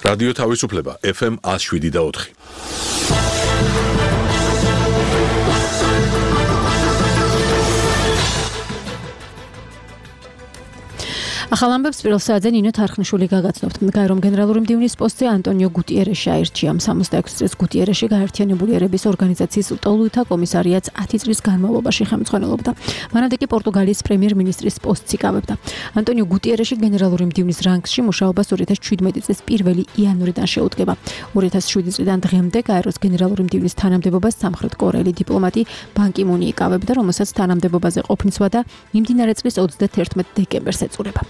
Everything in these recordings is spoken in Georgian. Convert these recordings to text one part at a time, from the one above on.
რადიო თავისუფლება FM 107.4. ახალ ამბებს პირველ საათზე ნინო თარხნიშვილი გაგაცნობთ. გაერომ გენერალური მდივნის პოსტზე ანტონიო გუტიერეში აირჩია. 66 წლის გუტიერეში გაერთიანებული ერების ორგანიზაციის ტოლუთა კომისარიატს 10 წლის განმავლობაში ხელმძღვანელობდა. მანამდე კი პორტუგალიის პრემიერ-მინისტრის პოსტს იკავებდა. ანტონიო გუტიერეში გენერალური მდივნის რანგში მუშაობას 2017 წლის 1 იანვრიდან შეუდგება. 2007 წლიდან დღემდე გაეროს გენერალური მდივნის თანამდებობას სამხრეთ კორეელი დიპლომატი ბან კი მუნი იკავებდა, რომელსაც თანამდებობაზე ყოფნის ვადა მიმდინარე წლის 31 დეკემბერს ეწურება.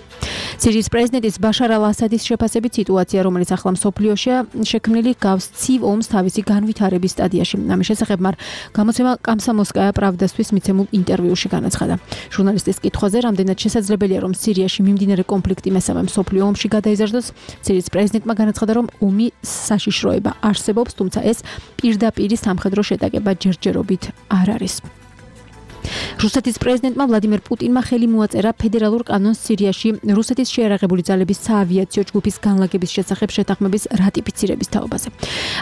სირიის პრეზიდენტის ბაშარ ალ-ასადის შეფასებით სიტუაცია, რომელიც ახლა მსოფლიოშია შექმნილი, გავს ცივ ომს თავისი განვითარების სტადიაში. ამის შესახებ მარ გამოცემა კომსომოლსკაია პრავდასთვის მიცემულ ინტერვიუში განაცხადა. ჟურნალისტის კითხვაზე, რამდენად შესაძლებელია, რომ სირიაში მიმდინარე კონფლიქტი მესამე მსოფლიო ომში გადაიზარდოს, სირიის პრეზიდენტმა განაცხადა, რომ ომი საშიშროება არსებობს, თუმცა ეს პირდაპირი სამხედრო შეტაკება ჯერჯერობით არ არის. რუსეთის პრეზიდენტმა ვლადიმერ პუტინმა ხელი მოაწერა ფედერალურ კანონს სირიაში რუსეთის შეიარაღებული ძალების საავიაციო ჯგუფის განლაგების შესახებ შეთანხმების რატიფიცირების თაობაზე.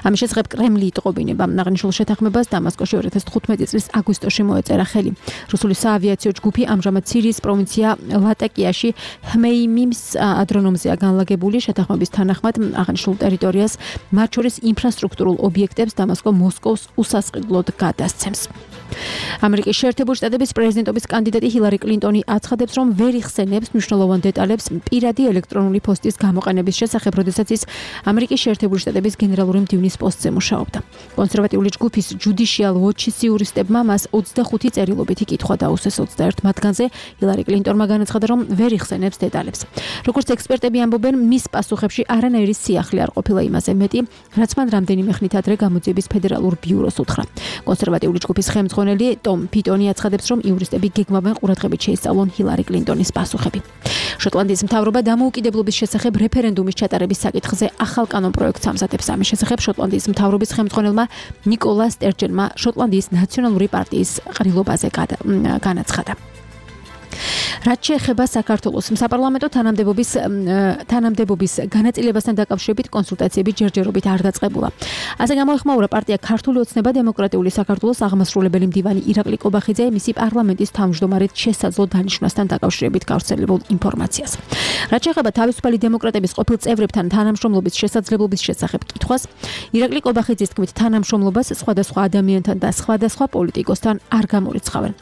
ამის შესახებ კრემლი იტყობინება. აღნიშნულ შეთანხმებას დამასკოში 2015 წლის აგვისტოში მოეწერა ხელი. რუსული საავიაციო ჯგუფი ამჟამად სირიის პროვინცია ლატაკიაში ჰმეიმიმის ადრონომზეა განლაგებული. შეთანხმების თანახმად აღნიშნულ ტერიტორიას, მათ შორის ინფრასტრუქტურულ ობიექტებს დამასკო მოსკოვს უსასყიდლოდ გადასცემს. ამერიკის შეერთებული შტატების პრეზიდენტობის კანდიდატი ჰილარი კლინტონი აცხადებს, რომ ვერ იხსენებს მნიშვნელოვან დეტალებს პირადი ელექტრონული პოსტის გამოყენების შესახებ, როდესაც ის ამერიკის შეერთებული შტატების გენერალური მდივნის პოსტზე მუშაობდა. კონსერვატიული ჯგუფის Judicial Watch-ის იურისტებმა მას 25 წერილობითი კითხვა დაუსვეს. 21 მათგანზე ჰილარი კლინტონმა განაცხადა, რომ ვერ იხსენებს დეტალებს. როგორც ექსპერტები ამბობენ, მის პასუხებში არანაირი სიახლე არ ყოფილა იმაზე მეტი, რაც მან რამდენიმე ხნით ადრე გამოძიების ფედერალურ ბიუროს უთხრა. კონსერვატიული ჯგუფის ხელმძღვანელი ტომ პიტონი აცხადებს, რომ იურისტები გეგმავენ ყურადღებით შეისწავლონ ჰილარი კლინტონის პასუხები. შოტლანდიის მთავრობა დამოუკიდებლობის შესახებ რეფერენდუმის ჩატარების საკითხზე ახალ კანონპროექტს ამზადებს. ამის შესახებ შოტლანდიის მთავრობის ხელმძღვანელმა ნიკოლა სტერჯენმა შოტლანდიის ნაციონალური პარტიის ყრილობაზე განაცხადა. რაც შეეხება საქართველოს საპარლამენტო თანამდებობის განაწილებასთან დაკავშირებით კონსულტაციები ჯერჯერობით არ დაწყებულა. ასე გამოეხმაურა პარტია ქართული ოცნება დემოკრატიული საქართველოს აღმასრულებელი მდივანი ირაკლი კობახიძე მისი პარლამენტის თავმჯდომარედ შესაძლო დანიშვნასთან დაკავშირებით გავრცელებულ ინფორმაციას. რაც შეეხება თავისუფალი დემოკრატების ყოფილ წევრებთან თანამშრომლობის შესაძლებლობის შესახებ კითხვას, ირაკლი კობახიძის თქმით, თანამშრომლობას სხვადასხვა ადამიანთან და სხვადასხვა პოლიტიკოსთან არ გამორიცხავენ.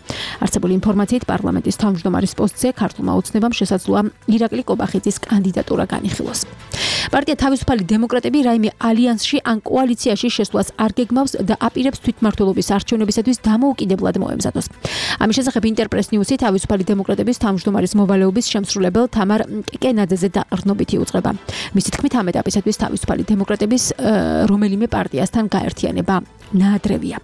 არსებული ინფორმაციით პარლამენტის თავმჯდომარის პოსტზე ქართულმა ოცნებამ შესაძლოა ირაკლი კობახიძის კანდიდატურა განიხილოს. პარტია თავისუფალი დემოკრატები რაიმე ალიანსში ან კოალიციაში შესვლას არ გეგმავს და აპირებს თვითმმართველობის არჩევნებისათვის დამოუკიდებლად მოემზადოს. ამის შესახებ ინტერპრეს ნიუსი თავისუფალი დემოკრატების თავმჯდომარის მოვალეობის შემსრულებელ თამარ კეკენაძეზე დაყრდნობით იუწყება. მისი თქმით, ამ ეტაპისათვის თავისუფალი დემოკრატების რომელიმე პარტიასთან გაერთიანება ნაადრევია.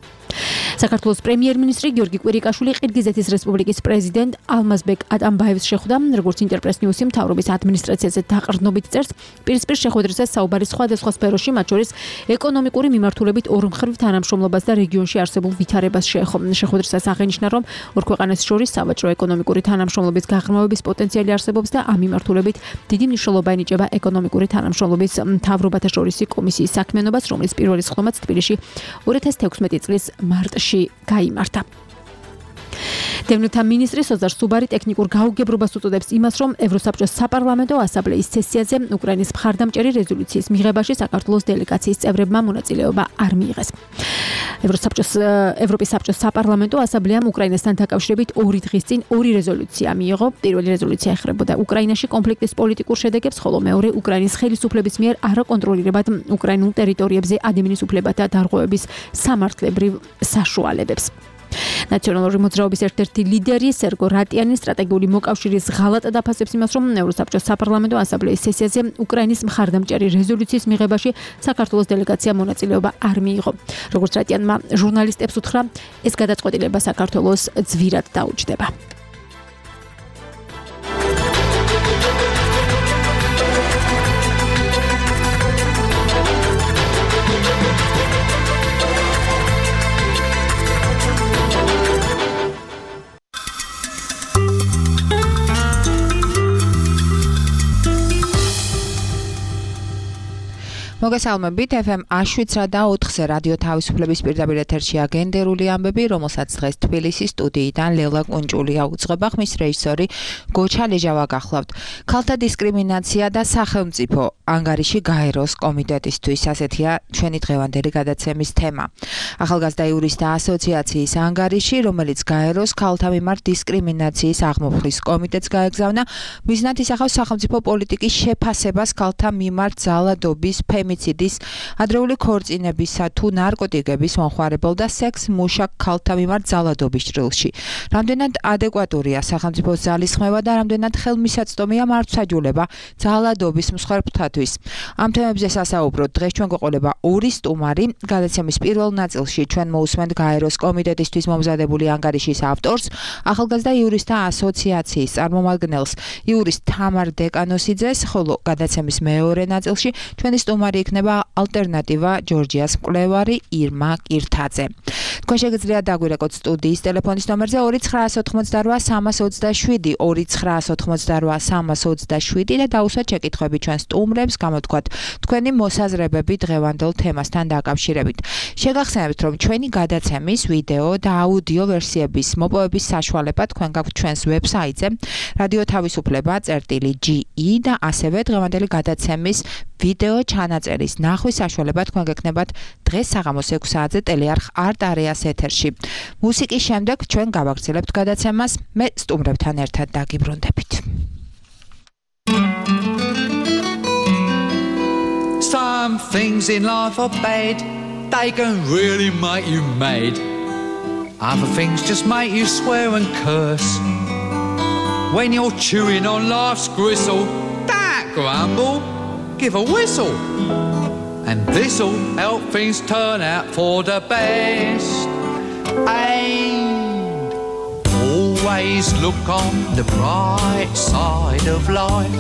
საქართველოს პრემიერ-მინისტრი გიორგი კვირიკაშვილი ყირგიზეთის რესპუბლიკის პრეზიდენტ ალმაზბეკ ატამბაევს შეხვდა, როგორც ინტერპრეს ნიუსი მთავრობის ადმინისტრაციაზე დაყრდნობით წერს, პირისპირ შეხვედრაზე საუბარი სხვადასხვა სფეროში, მათ შორის ეკონომიკური მიმართულებით ორმხრივ თანამშრომლობას და რეგიონში არსებულ ვითარებას შეეხო. შეხვედრისას აღინიშნა, რომ ორ ქვეყანას შორის სავაჭრო ეკონომიკური თანამშრომლობის გაღრმავების პოტენციალი არსებობს და ამ მიმართულებით დიდი მნიშვნელობა ენიჭება ეკონომიკური თანამშრომლობის მთავრობათა შორისი კომისიის საქმიანობას, რომლის პირველი სხდომაც თბილისში 2016 წლის მარტში გაიმართა. დევნილთა მინისტრი სოზარ სუბარი ტექნიკურ გაუგებრობას უწოდებს იმას, რომ ევროსაბჭოს საპარლამენტო ასამბლეის სესიაზე უკრაინის მხარდამჭერი რეზოლუციის მიღებაში საქართველოს დელეგაციის წევრებმა მონაწილეობა არ მიიღეს. ევროპის საბჭოს საპარლამენტო ასამბლეამ უკრაინასთან დაკავშირებით 2 დღის წინ 2 რეზოლუცია მიიღო. პირველი რეზოლუცია ეხებოდა უკრაინაში კონფლიქტის პოლიტიკურ შედეგებს, ხოლო მეორე უკრაინის ხელისუფლების მიერ არაკონტროლირებად უკრაინულ ტერიტორიებზე ადამიანის უფლებათა დარღვევების სამართლებრივ საშუალებებს. ნაციონალური მოძრაობის ერთ-ერთი ლიდერი სერგო რატიანი სტრატეგიული მოკავშირის ღალატ დაფასებს იმას, რომ ევროსაბჭოს საპარლამენტო ასამბლეის სესიაზე უკრაინის მხარდამჭერი რეზოლუციის მიღებაში საქართველოს დელეგაცია მონაწილეობა არ მიიღო. როგორც რატიანმა ჟურნალისტებს უთხრა, ეს გადაწყვეტილება საქართველოს ძვირად დაუჯდება. მოგესალმებით FM A7.4-ზე რადიო თავისუფლების პირდაპირ ეთერშია გენდერული ამბები, რომელსაც დღეს თბილისის სტუდიიდან ლელა კუნჭულია უძღვება, ხმის რეჟისორი გოჩა ლეჟავა გახლავთ. ქალთა დისკრიმინაცია და სახელმწიფო ანგარიში გაეროს კომიტეტისთვის, ასეთია ჩვენი დღევანდელი გადაცემის თემა. ახალგაზრდა იურისტთა ასოციაციის ანგარიში, რომელიც გაეროს ქალთა მიმართ დისკრიმინაციის აღმოფხვის კომიტეტს გაეგზავნა, მიზნად ისახავს სახელმწიფო პოლიტიკის შეფასებას ქალთა მიმართ ძალადობის, ფემიციდის, ადრეული ქორწინებისა თუ ნარკოტიკების მომხმარებელ და სექს მუშაკ ქალთა მიმართ ძალადობის ჭრილში. რამდენად ადეკვატურია სახელმწიფოს ძალისხმევა და რამდენად ხელმისაწვდომია მართლმსაჯულება ძალადობის მსხვერპლთათვის. ამ თემებზე სასაუბროთ დღეს ჩვენ გვეყოლება ორი სტუმარი. გადაცემის პირველ ნაწილში ჩვენ მოусმენთ გაეროს კომიტეტისთვის მომზადებული ანგარიშის ავტორს, ახალგაზრდა იურისტთა ასოციაციის წარმომადგენელს იურისტ თამარ დეკანოსიძეს, ხოლო გადაცემის მეორე ნაწილში ჩვენი სტუმარი იქნება ალტერნატივა ჯორჯიას მკვლევარი ირმა კირთაძე. თქვენ შეგიძლიათ დაგვირეკოთ სტუდიის ტელეფონის ნომერზე 298-327 298-327 და დაუსვათ შეკითხვები ჩვენ სტუმრებს, გამოთქვათ თქვენი მოსაზრებები დღევანდელ თემასთან დაკავშირებით. შეგახსენებთ, რომ ჩვენი გადაცემის ვიდეო და აუდიო ვერსიების მოპოვების საშუალება თქვენ გაქვთ ჩვენს ვებსაიტზე radio-tavisupleba.ge და ასევე დღევანდელი გადაცემის ვიდეო ჩანაწერის ნახვის საშუალება თქვენ გექნებათ დღეს საღამოს 6 საათზე ტელეარხ არტ-არეას ეთერში. მუსიკის შემდეგ ჩვენ გავაგრძელებთ გადაცემას, მე სტუმრებთან ერთად დაგიბრუნდებით. Some things in life are bad, they can really make you mad. Other things just make you swear and curse. When you're chewing on life's gristle, don't grumble, give a whistle. And this'll help things turn out for the best. And always look on the bright side of life.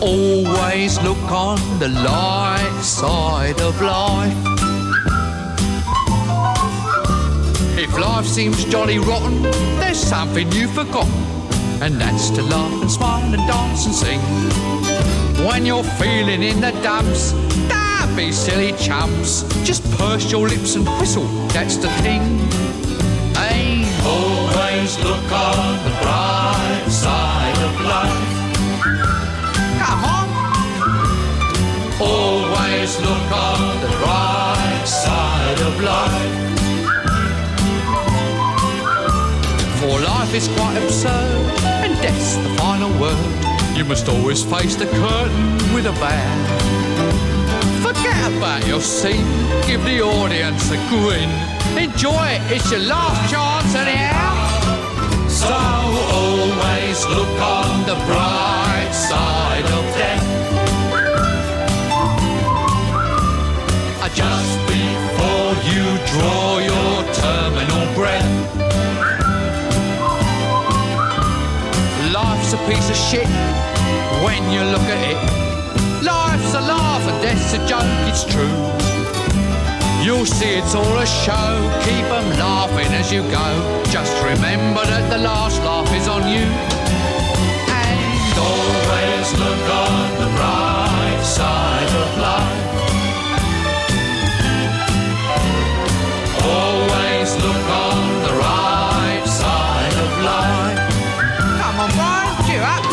Always look on the light side of life. If life seems jolly rotten, there's something you've forgotten, and that's to laugh and smile and dance and sing. When you're feeling in the dumps, don't be silly chumps, just purse your lips and whistle, that's the thing. Hey, always look on the bright side of life. Come on. Always look on the bright side of life. For life is quite absurd, and death's the final word. You must always face the curtain with a bow. Forget about your scene, give the audience a grin. Enjoy it, it's your last chance anyhow. So always look on the bright side of death. Just before you draw your terminal breath. Life's a piece of shit when you look at it. Life's a laugh and death's a joke, it's true. You'll see it's all a show, keep 'em laughing as you go. Just remember that the last laugh is on you. And always look on the bright side of life. Always look on the right side of life. Come on, Brian, cheer up.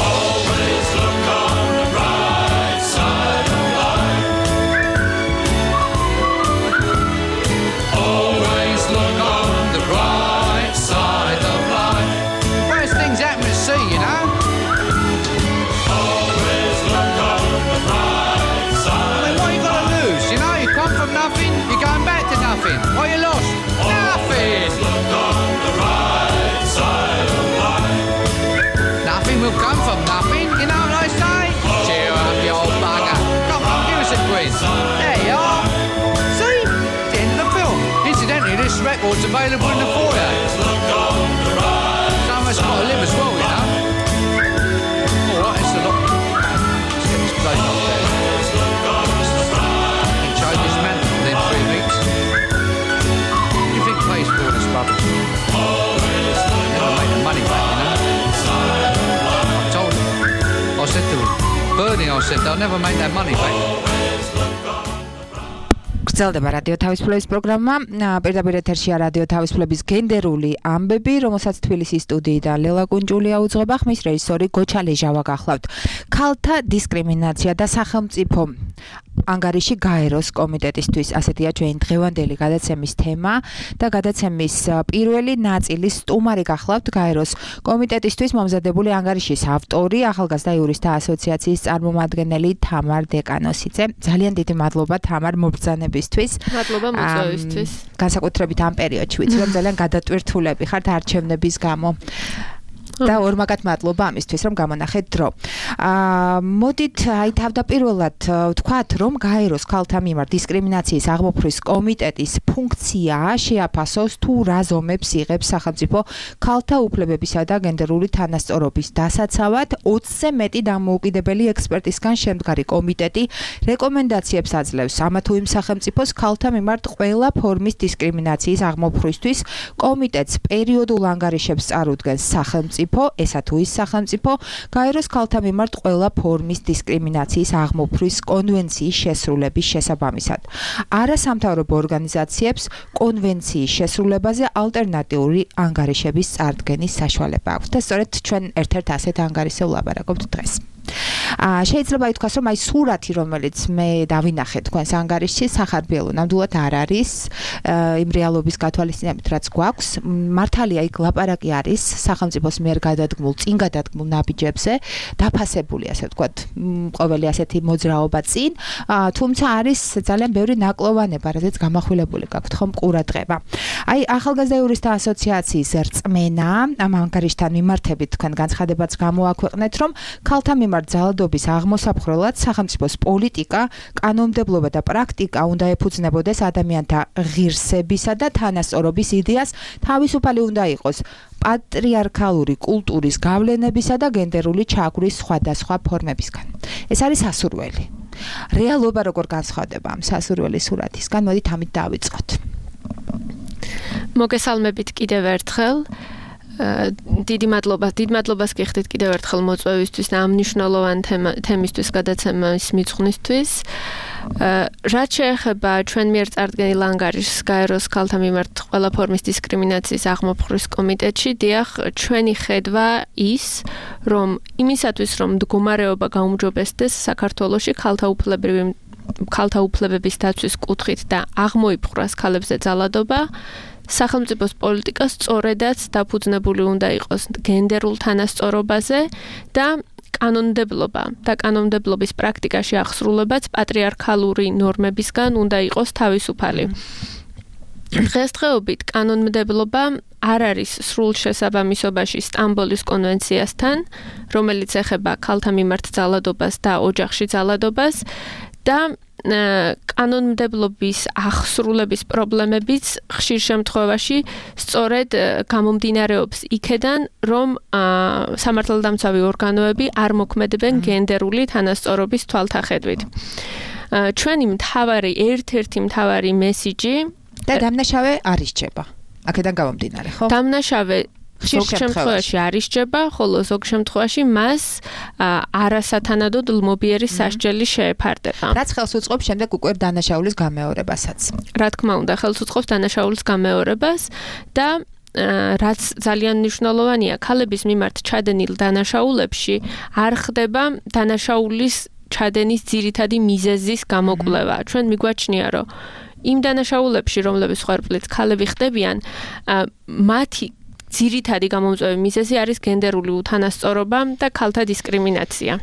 Always look on the right side of life. Always look on the right side of life. First things happen to see, you know. Always look on the right side. I mean, what you got to lose? You know, you come from nothing, you're going back to nothing. What you lost? Nothing. Look on the right side of life. Nothing will come from nothing, you know what I say? Cheer up, you old bugger. Come on, give us a quiz. There you are. See? It's the end of the film. Incidentally, this record's available in the foyer. Someone's got to live as well, you know. All right, it's a lot. Let's get this place up there. You chose this man within 3 weeks. What do you think pays for all this rubbish? Never made the money back, you know. I told him. I said they'll never make that money back. გრძელდება რადიო თავისუფლების პროგრამა. პირდაპირ ეთერშია რადიო თავისუფლების გენდერული ამბები, რომელსაც თბილისის სტუდიიდან ლელა კუნჭულია უძღვება, ხმის რეჟისორი გოჩა ლეჟავა გახლავთ. ქალთა დისკრიმინაცია და სახელმწიფო ანგარიში გაეროს კომიტეტისთვის, ასეთია ჩვენი დღევანდელი გადაცემის თემა და გადაცემის პირველი ნაწილის სტუმარი გახლავთ გაეროს კომიტეტისთვის მომზადებული ანგარიშის ავტორი, ახალგაზრდა იურისტთა ასოციაციის წარმომადგენელი თამარ დეკანოსიძე. ძალიან დიდი მადლობა თამარ მობრძანებისთვის. მადლობა მოწვევისთვის. განსაკუთრებით ამ პერიოდში, ვიცი რომ ძალიან გადატვირთულები ხართ არჩევნების გამო. და ორმაგად მადლობა ამისთვის რომ გამონახეთ დრო. მოდით აი თავდაპირველად ვთქვათ რომ გაეროს ქალთა მიმართ დისკრიმინაციის აღმოფხრის კომიტეტის ფუნქცია შეაფასოს თუ რა ზომებს იღებს სახელმწიფო ქალთა უფლებებისა და გენდერული თანასწორობის დასაცავად 20-ზე მეტი დამოუკიდებელი ექსპერტისგან შემდგარი კომიტეტი რეკომენდაციებს აძლევს ამა თუ იმ სახელმწიფოს ქალთა მიმართ ყველა ფორმის დისკრიმინაციის აღმოფხრისთვის. კომიტეტს პერიოდულ ანგარიშებს წარუდგენს სახელმწიფო ესა თუ ის სახელმწიფო გაეროს ქალთა მიმართ ყველა ფორმის დისკრიმინაციის აღმოფხრის კონვენციის შესრულების შესაბამისად. არასამთავრობო ორგანიზაციებს კონვენციის შესრულებაზე ალტერნატიული ანგარიშების წარდგენის საშუალება აქვს და სწორედ ჩვენ ერთ-ერთ ასეთ ანგარიშზე ვლაპარაკობთ დღეს. შეიძლება ითქვას რომ აი სურათი რომელიც მე დავინახე თქვენს ანგარიშში სახარბიელო ნამდვილად არ არის იმ რეალობის გათვალისწინებით რაც გვაქვს. მართალია იქ ლაპარაკი არის სახელმწიფოს მიერ გადადგმულ წინ გადადგმულ ნაბიჯებზე დაფასებული ასე ვთქვათ ყოველი ასეთი მოძრაობა წინ, თუმცა არის ძალიან ბევრი ნაკლოვანება, რადგან გამახვილებული გაქვთ ხომ ყურადღება. აი ახალგაზრდა იურისტთა ასოციაციის რწმენა ამ ანგარიშთან მიმართებით თქვენ განცხადებაც გამოაქვეყნეთ რომ ქალთა მიმართ ძალადობის აღმოსაფხრელად სახელმწიფოს პოლიტიკა, კანონმდებლობა და პრაქტიკა უნდა ეფუძნებოდეს ადამიანთა ღირსებისა და თანასწორობის იდეას, თავისუფალი უნდა იყოს პატრიარქალური კულტურის გავლენებისა და გენდერული ჩაგვრის სხვადასხვა ფორმებისგან. ეს არის სასურველი. რეალობა როგორ განსხვავდება ამ სასურველი სურათისგან? მოდით ამით დავიწყოთ. მოგესალმებით კიდევ ერთხელ. დიდი მადლობას გიხდით კიდევ ერთხელ მოწვევისთვის და ამ მნიშვნელოვან თემისთვის გადაცემის მიწვნისთვის. რაც შეეხება ჩვენ მიერ წარდგენილ ანგარიშს გაეროს ქალთა მიმართ ყველა ფორმის დისკრიმინაციის აღმოფხრის კომიტეტში, დიახ, ჩვენი ხედვა ის, რომ იმისათვის რომ მდგომარეობა გაუმჯობესდეს საქართველოში ქალთა უფლებების დაცვის კუთხით და აღმოიფხვრას ქალებზე ძალადობა, სახელმწიფოს პოლიტიკა სწორედაც დაფუძნებული უნდა იყოს გენდერულ თანასწორობაზე და კანონმდებლობა და კანონმდებლობის პრაქტიკაში აღსრულებაც პატრიარქალური ნორმებისგან უნდა იყოს თავისუფალი. დღესდღეობით კანონმდებლობა არ არის სრულ შესაბამისობაში სტამბოლის კონვენციასთან, რომელიც ეხება ქალთა მიმართ ძალადობას და ოჯახში ძალადობას და კანონმდებლობის აღსრულების პრობლემებიც ხშირ შემთხვევაში სწორედ გამომდინარეობს იქედან, რომ სამართალდამცავი ორგანოები არ მოქმედებენ გენდერული თანასწორობის თვალთახედვით. ჩვენი ერთ-ერთი მთავარი მესიჯი და დამნაშავე არ ისჯება. აქედან გამომდინარე, ხო? დამნაშავე ხშირ შემთხვევაში არ ისჯება, ხოლო ზოგ შემთხვევაში მას არასათანადოდ ლმობიერი სასჯელი შეეფარდება. რაც ხელს უწყობს შემდეგ უკვე დანაშაულის გამეორებასაც. რა თქმა უნდა, ხელს უწყობს დანაშაულის გამეორებას და რაც ძალიან მნიშვნელოვანია, ქალების მიმართ ჩადენილ დანაშაულებში არ ხდება დანაშაულის ჩადენის ძირითადი მიზეზის გამოკვლევა. ჩვენ მიგვაჩნია, რომ იმ დანაშაულებში, რომლების ხარბლით ქალები ხდებიან, მათი ძირითადი გამომწვევი მიზეზი არის გენდერული უთანასწორობა და ქალთა დისკრიმინაცია.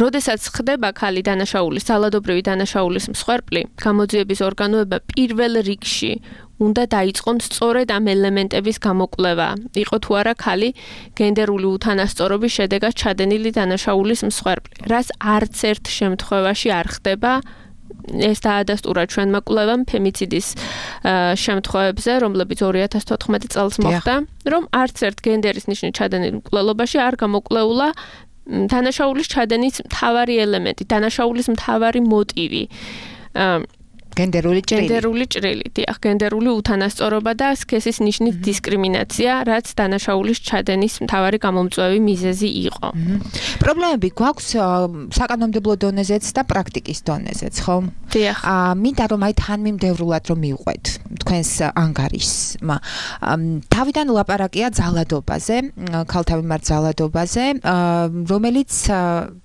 როდესაც ხდება ქალი დანაშაულის, ძალადობრივი დანაშაულის მსხვერპლი, გამოძიების ორგანოება პირველ რიგში უნდა დაიწყონ სწორედ ამ ელემენტების გამოკვლევა. იყო თუ არა ქალი გენდერული უთანასწორობის შედეგად ჩადენილი დანაშაულის მსხვერპლი, რაც არც ერთ შემთხვევაში არ ხდება. ეს დაადასტურა ჩვენმა კვლევამ ფემიციდის შემთხვევებზე, რომლებიც 2014 წელს მოხდა, რომ არც ერთ გენდერის ნიშნით ჩადენილ მკვლელობაში არ გამოკვლეულა დანაშაულის ჩადენის მთავარი ელემენტი, დანაშაულის მთავარი მოტივი. გენდერული ჭრილი. გენდერული ჭრილი, დიახ, გენდერული უთანასწორობა და სქესის ნიშნით დისკრიმინაცია, რაც დანაშაულის ჩადენის მთავარი გამომწვევი მიზეზი იყო. პრობლემები გვაქვს საკანონმდებლო დონეზეც და პრაქტიკის დონეზეც, ხო? დიახ. მინდა რომ აი თანმიმდევრულად რომ მივყვეთ თქვენს ანგარიშმა. თავიდან ლაპარაკია ძალადობაზე, ქალთა მიმართ ძალადობაზე, რომელიც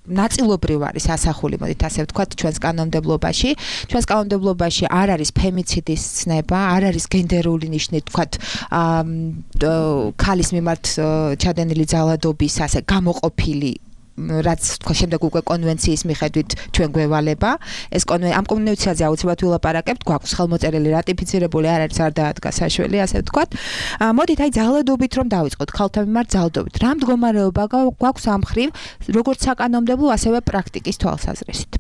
ნაწილობრივ არის ასახული, მოდით ასე ვთქვათ, ჩვენს კანონმდებლობაში. ჩვენს კანონმდებლობაში არ არის ფემიციდის ცნება, არ არის გენდერული ნიშნით, ვთქვათ, ქალის მიმართ ჩადენილი ძალადობის ასე გამოყოფილი რაც თქვა შემდეგ უკვე კონვენციის მიხედვით ჩვენ გვევალება ეს ამ კონვენციაზე აუცილებლად ვილაპარაკებთ გვაქვს ხელმოწერილი რატიფიცირებული არ არის არ დაადგა საშველი ასე ვთქვათ მოდით აი ძალადობით რომ დავიწყოთ ქალთა მიმართ ძალადობით რა მდგომარეობა გვაქვს ამ მხრივ როგორც საკანონმდებლო ასევე პრაქტიკის თვალსაზრისით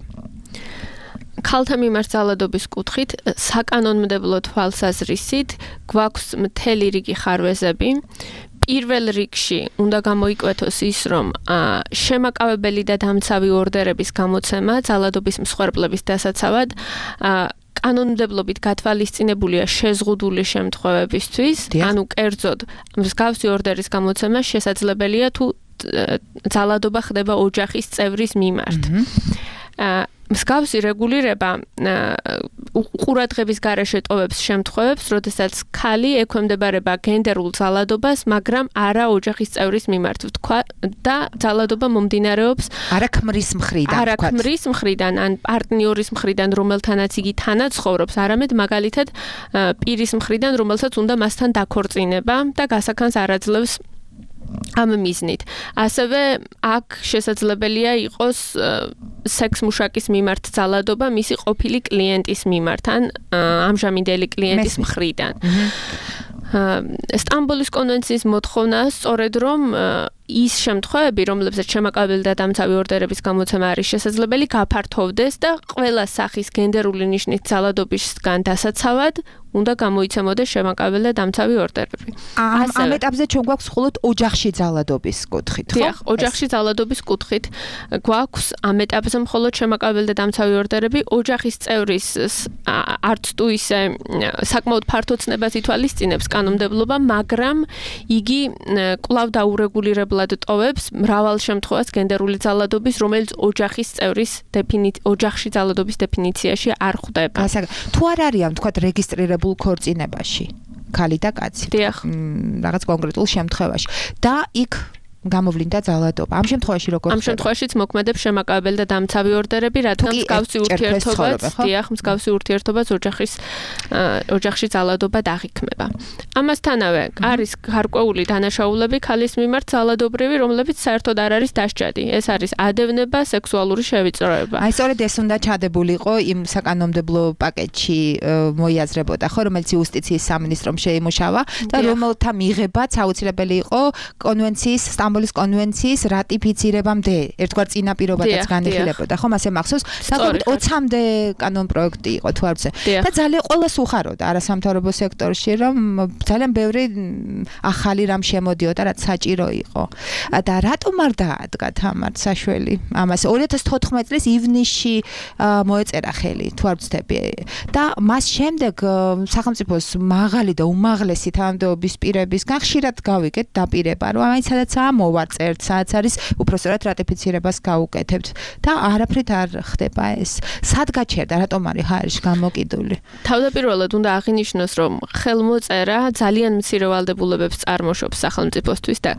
ქალთა მიმართ ძალადობის კუთხით საკანონმდებლო თვალსაზრისით გვაქვს მთელი რიგი ხარვეზები პირველ რიგში უნდა გამოიკვეთოს ის, რომ შემაკავებელი და დამცავი ორდერების გამოცემა ძალადობის მსხვერპლების დასაცავად კანონმდებლობით გათვალისწინებულია შეზღუდული შემთხვევებისთვის, ანუ კერძოდ მსგავსი ორდერის გამოცემა შესაძლებელია თუ ძალადობა ხდება ოჯახის წევრის მიმართ. მსგავსი რეგულირება ყურადღების გარეშე ტოვებს შემთხვევებს, როდესაც ქალი ექვემდებარება გენდერულ ძალადობას, მაგრამ არა ოჯახის წევრის მიმართ, ვთქვა და ძალადობა მომდინარეობს არა ქმრის მხრიდან, ან პარტნიორის მხრიდან, რომელთანაც იგი თანაცხოვრობს, არამედ მაგალითად პირის მხრიდან, რომელსაც უნდა მასთან დაქორწინება და გასახანს არ აძლევს ამ მიზნით. ასევე აქ შესაძლებელია იყოს სექსმუშაკის მიმართ ძალადობა მისი ყოფილი კლიენტის მიმართ ან ამჟამინდელი კლიენტის მხრიდან. სტამბოლის კონვენციის მოთხოვნაა სწორედ რომ ის შემთხვევები, რომლებსაც შემაკავებელი და დამცავი ორდერების გამოცემა არის შესაძლებელი, გაფართოვდეს და ყველა სახის გენდერული ნიშნით ძალადობისგან დასაცავად უნდა გამოიცემოდეს შემაკავებელი და დამცავი ორდერები. ამ ეტაპზე ჩვენ გვაქვს მხოლოდ ოჯახში ძალადობის კუთხით, ხო? დიახ, ოჯახში ძალადობის კუთხით გვაქვს ამ ეტაპზე მხოლოდ შემაკავებელი და დამცავი ორდერები, ოჯახის წევრის არც თუ ისე საკმაოდ ფართო ცნებას ითვალისწინებს კანონმდებლობა, მაგრამ იგი კვლავ დაურეგულირებლად ტოვებს მრავალ შემთხვევას გენდერული ძალადობის, რომელიც ოჯახის წევრის ოჯახში ძალადობის დეფინიციაში არ ხვდება. თუ არ არიან, თქვათ, რეგისტრირებული ქორწინებაში ქალი და კაცი რაღაც კონკრეტულ შემთხვევაში და იქ გამოვლინდა ძალადობა. ამ შემთხვევაში როგორ ხდება? ამ შემთხვევაშიც მოქმედებს შემაკავებელი და დამცავი ორდერები, რადგან მსგავსი ურთიერთობაც ოჯახში ძალადობა დაღიქმება. ამასთანავე არის გარკვეული დანაშაულები ქალის მიმართ ძალადობრივი, რომლებიც საერთოდ არ არის დასჯადი. ეს არის ადევნება, სექსუალური შევიწროება. აი სწორედ ეს უნდა ჩადებულიყო იმ საკანონმდებლო პაკეტში მოიაზრებოდა, ხო, რომელიც იუსტიციის სამინისტრომ შეიმუშავა და რომელთა მიღებაც აუცილებელი იყო კონვენციის სტამბოლის კონვენციის რატიფიცირებამდე ერთგვარ წინაპირობადაც განიხილებოდა, ხო, მასე მახსოვს, საკუთრებით 20-მდე კანონპროექტი იყო თუ არ ვიცი. და ძალიან ყველას უხაროდა არასამთავრობო სექტორში, რომ ძალიან ბევრი ახალი რამ შემოდიოდა, რაც საჭირო იყო. და რატომ არ დაადგა თამარ საშველი? ამას 2014 წლის ივნისში მოეწერა ხელი, თუ არ ვცდები. და მას შემდეგ სახელმწიფოს მაღალი და უმაღლესი თანამდებობის პირებისგან ხშირად გავიგეთ დაპირება, რომ აი სადაცაა მოვარწერთ, სადაც არის უпростоრად რატიფიცირებას გავუკეთებთ და არაფრით არ ხდება ეს. სად გაჩერდა, რატომ არის ხარში გამოკიდული? თავდაპირველად უნდა აღინიშნოს, რომ ხელმოწერა ძალიან მცირე ვალდებულებებს წარმოშობს სახელმწიფოსთვის და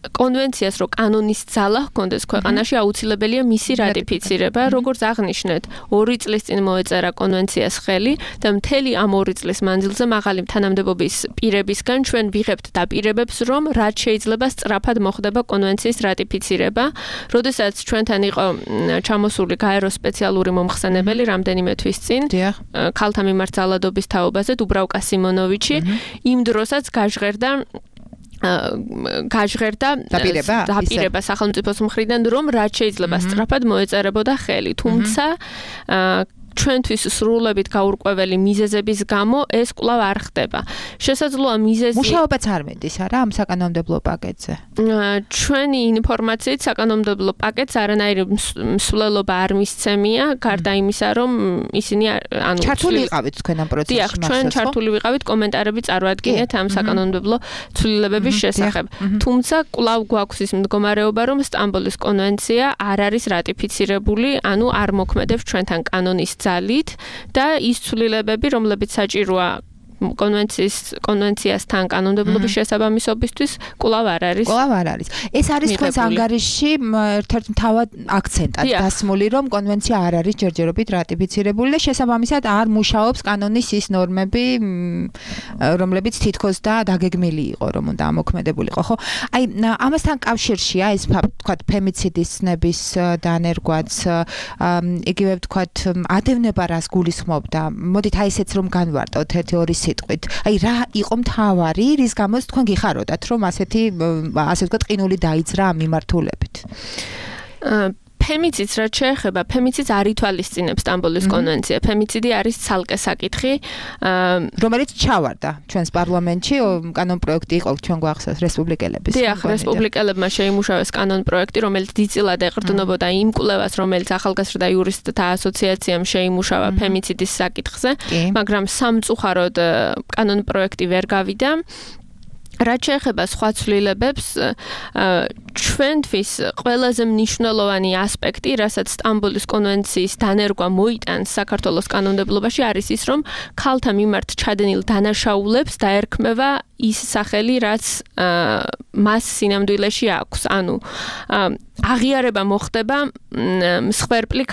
კონვენციას რო კანონის ძალა ჰქონდეს ქვეყანაში აუცილებელია მისი რატიფიცირება, როგორც აღნიშნეთ, 2 წლის წინ მოეწერა კონვენციას ხელი და მთელი ამ 2 წლის მანძილზე მაღალი თანამდებობის პირებისგან ჩვენ ვიღებთ დაპირებებს, რომ რაც შეიძლება სწრაფად მოხდება კონვენციის რატიფიცირება, როდესაც ჩვენთან იყო ჩამოსული გაერო სპეციალური მომხსენებელი რამდენიმე თვის წინ, ქალთა მიმართ ძალადობის თაობაზე დუბრავკა სიმონოვიჩი, იმ დროსაც გაჟღერდა დაპირება სახელმწიფოს მხრიდან, რომ რაც შეიძლება სწრაფად მოეწერებოდა ხელი, თუმცა ჩვენთვის სრულებით გაურკვეველი მიზეზების გამო ეს კვლავ არ ხდება. შესაძლოა მიზეზი მუშაობაც არ მედის არა ამ საკანონმდებლო პაკეტზე. ჩვენი ინფორმაციით საკანონმდებლო პაკეტს არანაირი მსვლელობა არ მისცემია, გარდა იმისა, რომ ისინი ჩართული იყავით თქვენ ამ პროცესში. დიახ, ჩვენ ჩართული ვიყავით, კომენტარები წარვადგინეთ ამ საკანონმდებლო ცვლილებების შესახებ. თუმცა კვლავ გვაქვს ის მდგომარეობა, რომ სტამბოლის კონვენცია არ არის რატიფიცირებული, ანუ არ მოქმედებს ჩვენთან კანონის ძალით და ის ცვლილებები, რომლებიც საჭიროა კონვენციასთან კანონმდებლობის შესაბამისობისთვის კვლავ არ არის. ეს არის თქვენს ანგარიშში ერთ-ერთ მთავარ აქცენტად დასმული, რომ კონვენცია არ არის ჯერჯერობით რატიფიცირებული და შესაბამისად არ მუშაობს კანონის ის ნორმები, რომლებიც თითქოს და დაგეგმილი იყო, რომ უნდა ამოქმედებულიყო, ხო? აი, ამასთან კავშირშია ეს თქვათ ფემიციდის ცნების დანერგვაც, იგივე თქვათ ადევნება რას გულისხმობდა. მოდით აი ესეც რომ განვარტოთ 1-2 სიტყვით. აი რა იყო მთავარი, რის გამოც თქვენ გიხაროდათ, რომ ასე ვთქვათ, ყინული დაიძრა ამ მიმართულებით. ფემიციდს რაც შეეხება, ფემიციდს არ ითვალისწინებს სტამბოლის კონვენცია. ფემიციდი არის ცალკე საკითხი, რომელიც ჩავარდა ჩვენს პარლამენტში, კანონპროექტი იყო ჩვენ გვახსოვს რესპუბლიკელების. დიახ, რესპუბლიკელებმა შეიმუშავეს კანონპროექტი, რომელიც დიდწილად ეყრდნობოდა იმ კვლევას, რომელიც ახალგაზრდა იურისტთა ასოციაციამ შეიმუშავა ფემიციდის საკითხზე, მაგრამ სამწუხაროდ კანონპროექტი ვერ გავიდა. რაც შეეხება სხვა ცვლილებებს, ჩვენთვის ყველაზე მნიშვნელოვანი ასპექტი, რასაც სტამბოლის კონვენციის დანერგვა მოიტანს საქართველოს კანონმდებლობაში, არის ის, რომ ქალთა მიმართ ჩადენილ დანაშაულებს დაერქმევა ის სახელი, რაც მას სინამდვილეში აქვს. ანუ აღიარება მოხდება მსხვერპლი